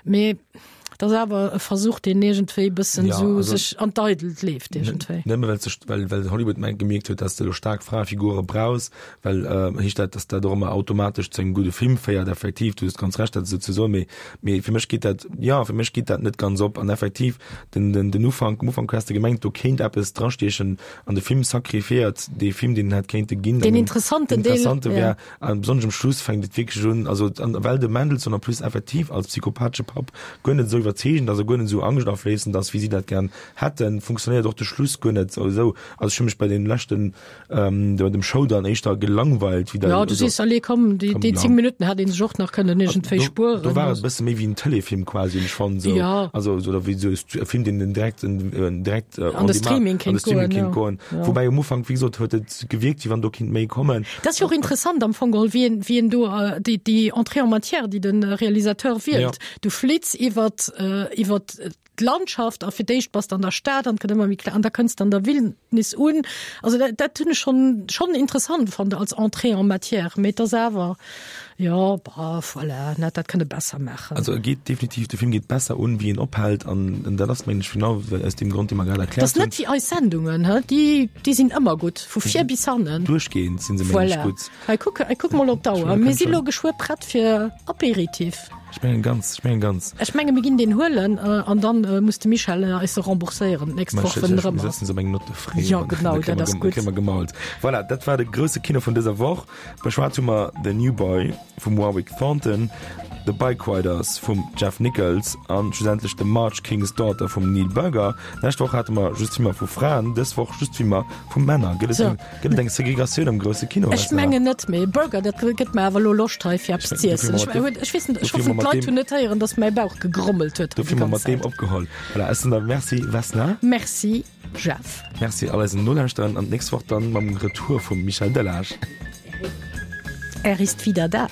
Mee dat ass awer e Versuch, deen iergendwéi e bëssen Ja, sou also- sech an d'Eidelt leeft iergendwéi. Nëmme well, sech, well, well Hollywood mengt gemierkt huet, dass de lo staark Fraefigure brauchs, well äh, heescht dat, dass dat och ëmmer automatesch zu engem gudde Film féiert, effektiv, du hues ganz recht, dat esou ze soen, mee, mee fir mech geet dat, ja, fir mech geet dat net ganz op an effektiv den, den, den Ufank, um Ufank hues de gemengt, do kéint eppes drastiechen an de Film sacrifiéiert dee Film, deen en hätt kéinte ginn. Den An interessanten den Deel, interessante ja. wär, an besonnesch um Schluss fänkt et wierklech un, also an, well de Mendelsohn en plus effektiv als psychopathesche Papp guer net esou iwwerzeegend, also guer net esou angschtafléissend ass, wéi si dat gern hätten, funktionéiert och de Schluss guer net esou. Also ech hu mech bei den leschten, ähm, bei dem Showdown éischter gelangweilt, wéi Ja, da, du also, sees, allez, komm, déi, komm, déi ja. zéng Minutten hätt ee sech och nach kënnen iergendwéi do, spueren. do war et e bësse méi wéi en Telefilm quasi, hunn ech fonnt, esou. Ja. Also, so, oder wéi esou e Film, deen den direkt, en, direkt äh, An on de demand, Streaming an de kéint Streaming goen, kéint ja. goen. Ja. Woubäi um Ufank, wéi gesot, huet et gewierkt, wéi wann do kinnt méi kommen. Dat ass jo och interessant am Fong geholl, wéi en, wéi en do äh, déi, déi Entrée en matière, déi de Realisateur wielt. Ja. Du flitts iwwer äh, iwwer d'Landschaft a fir d'éischt bass de an der Stad an gëtt ëmmer méi kleng an da kënns de an der Wildnis un. Also dat, dat hunn ech schonn, schonn interessant fonnt als Entrée en matière, mee et ass awer, jo, bah, voilà, net, dat kënnt e besser maachen. Also e geet definitiv, de Film geet besser un, wéi en ophält an dat ass, mengen ech, genau aus deem Grond, dee mer grad erkläert hunn. Dat ass net wéi eis Sendungen, he, déi, déi sinn ëmmer gutt, vu vir bis hannen. Duerchgehend sinn se, mengen ech, gutt. Voilà. Hei, kuck, hei, kuck mol op d'Auer, mir si lo geschwë prett fir Apéritif. Ech mengen ganz, ech mengen ganz. Ech menge mir ginn deen huelen an dann muss de Michel eis se rembourséieren d'nächst Woch, wënn en erëm ass. Mir sëtzen se op eng Note de frais. Jo, genau, dat ass gutt. Kréie mer gemault. Voilà, dat war de grousse Kino vun dëser Woch. Beschwat hu mer The New Boy vum Warwick Thornton, The Bikeriders vum Jeff Nichols an schlussendlech The March King's Daughter vum Neil Burger. D'lescht Woch hate mer just Filmer vu Fraen, dës Woch just Filmer vu Männer. Gëtt et eng, gëtt et eng Segregatioun am grousse Kino? Ech mengen net, mee Burger, dat gëtt mer awer elo Loscht hei fir eppes z'iessen. Ech, ech weess net, ech hoffen d'Leit hunn net héieren, datt mäi Bauch gegrommelt huet hei déi ganz Zäit. Dofir hu mer mat deem opgeholl. Voilà, ech soen der Merci Vesna. Merci Jeff. Merci all eisen Nolauschterern an d'nächst Woch dann mam Retour vum Michel Delage. Er ist wieder da.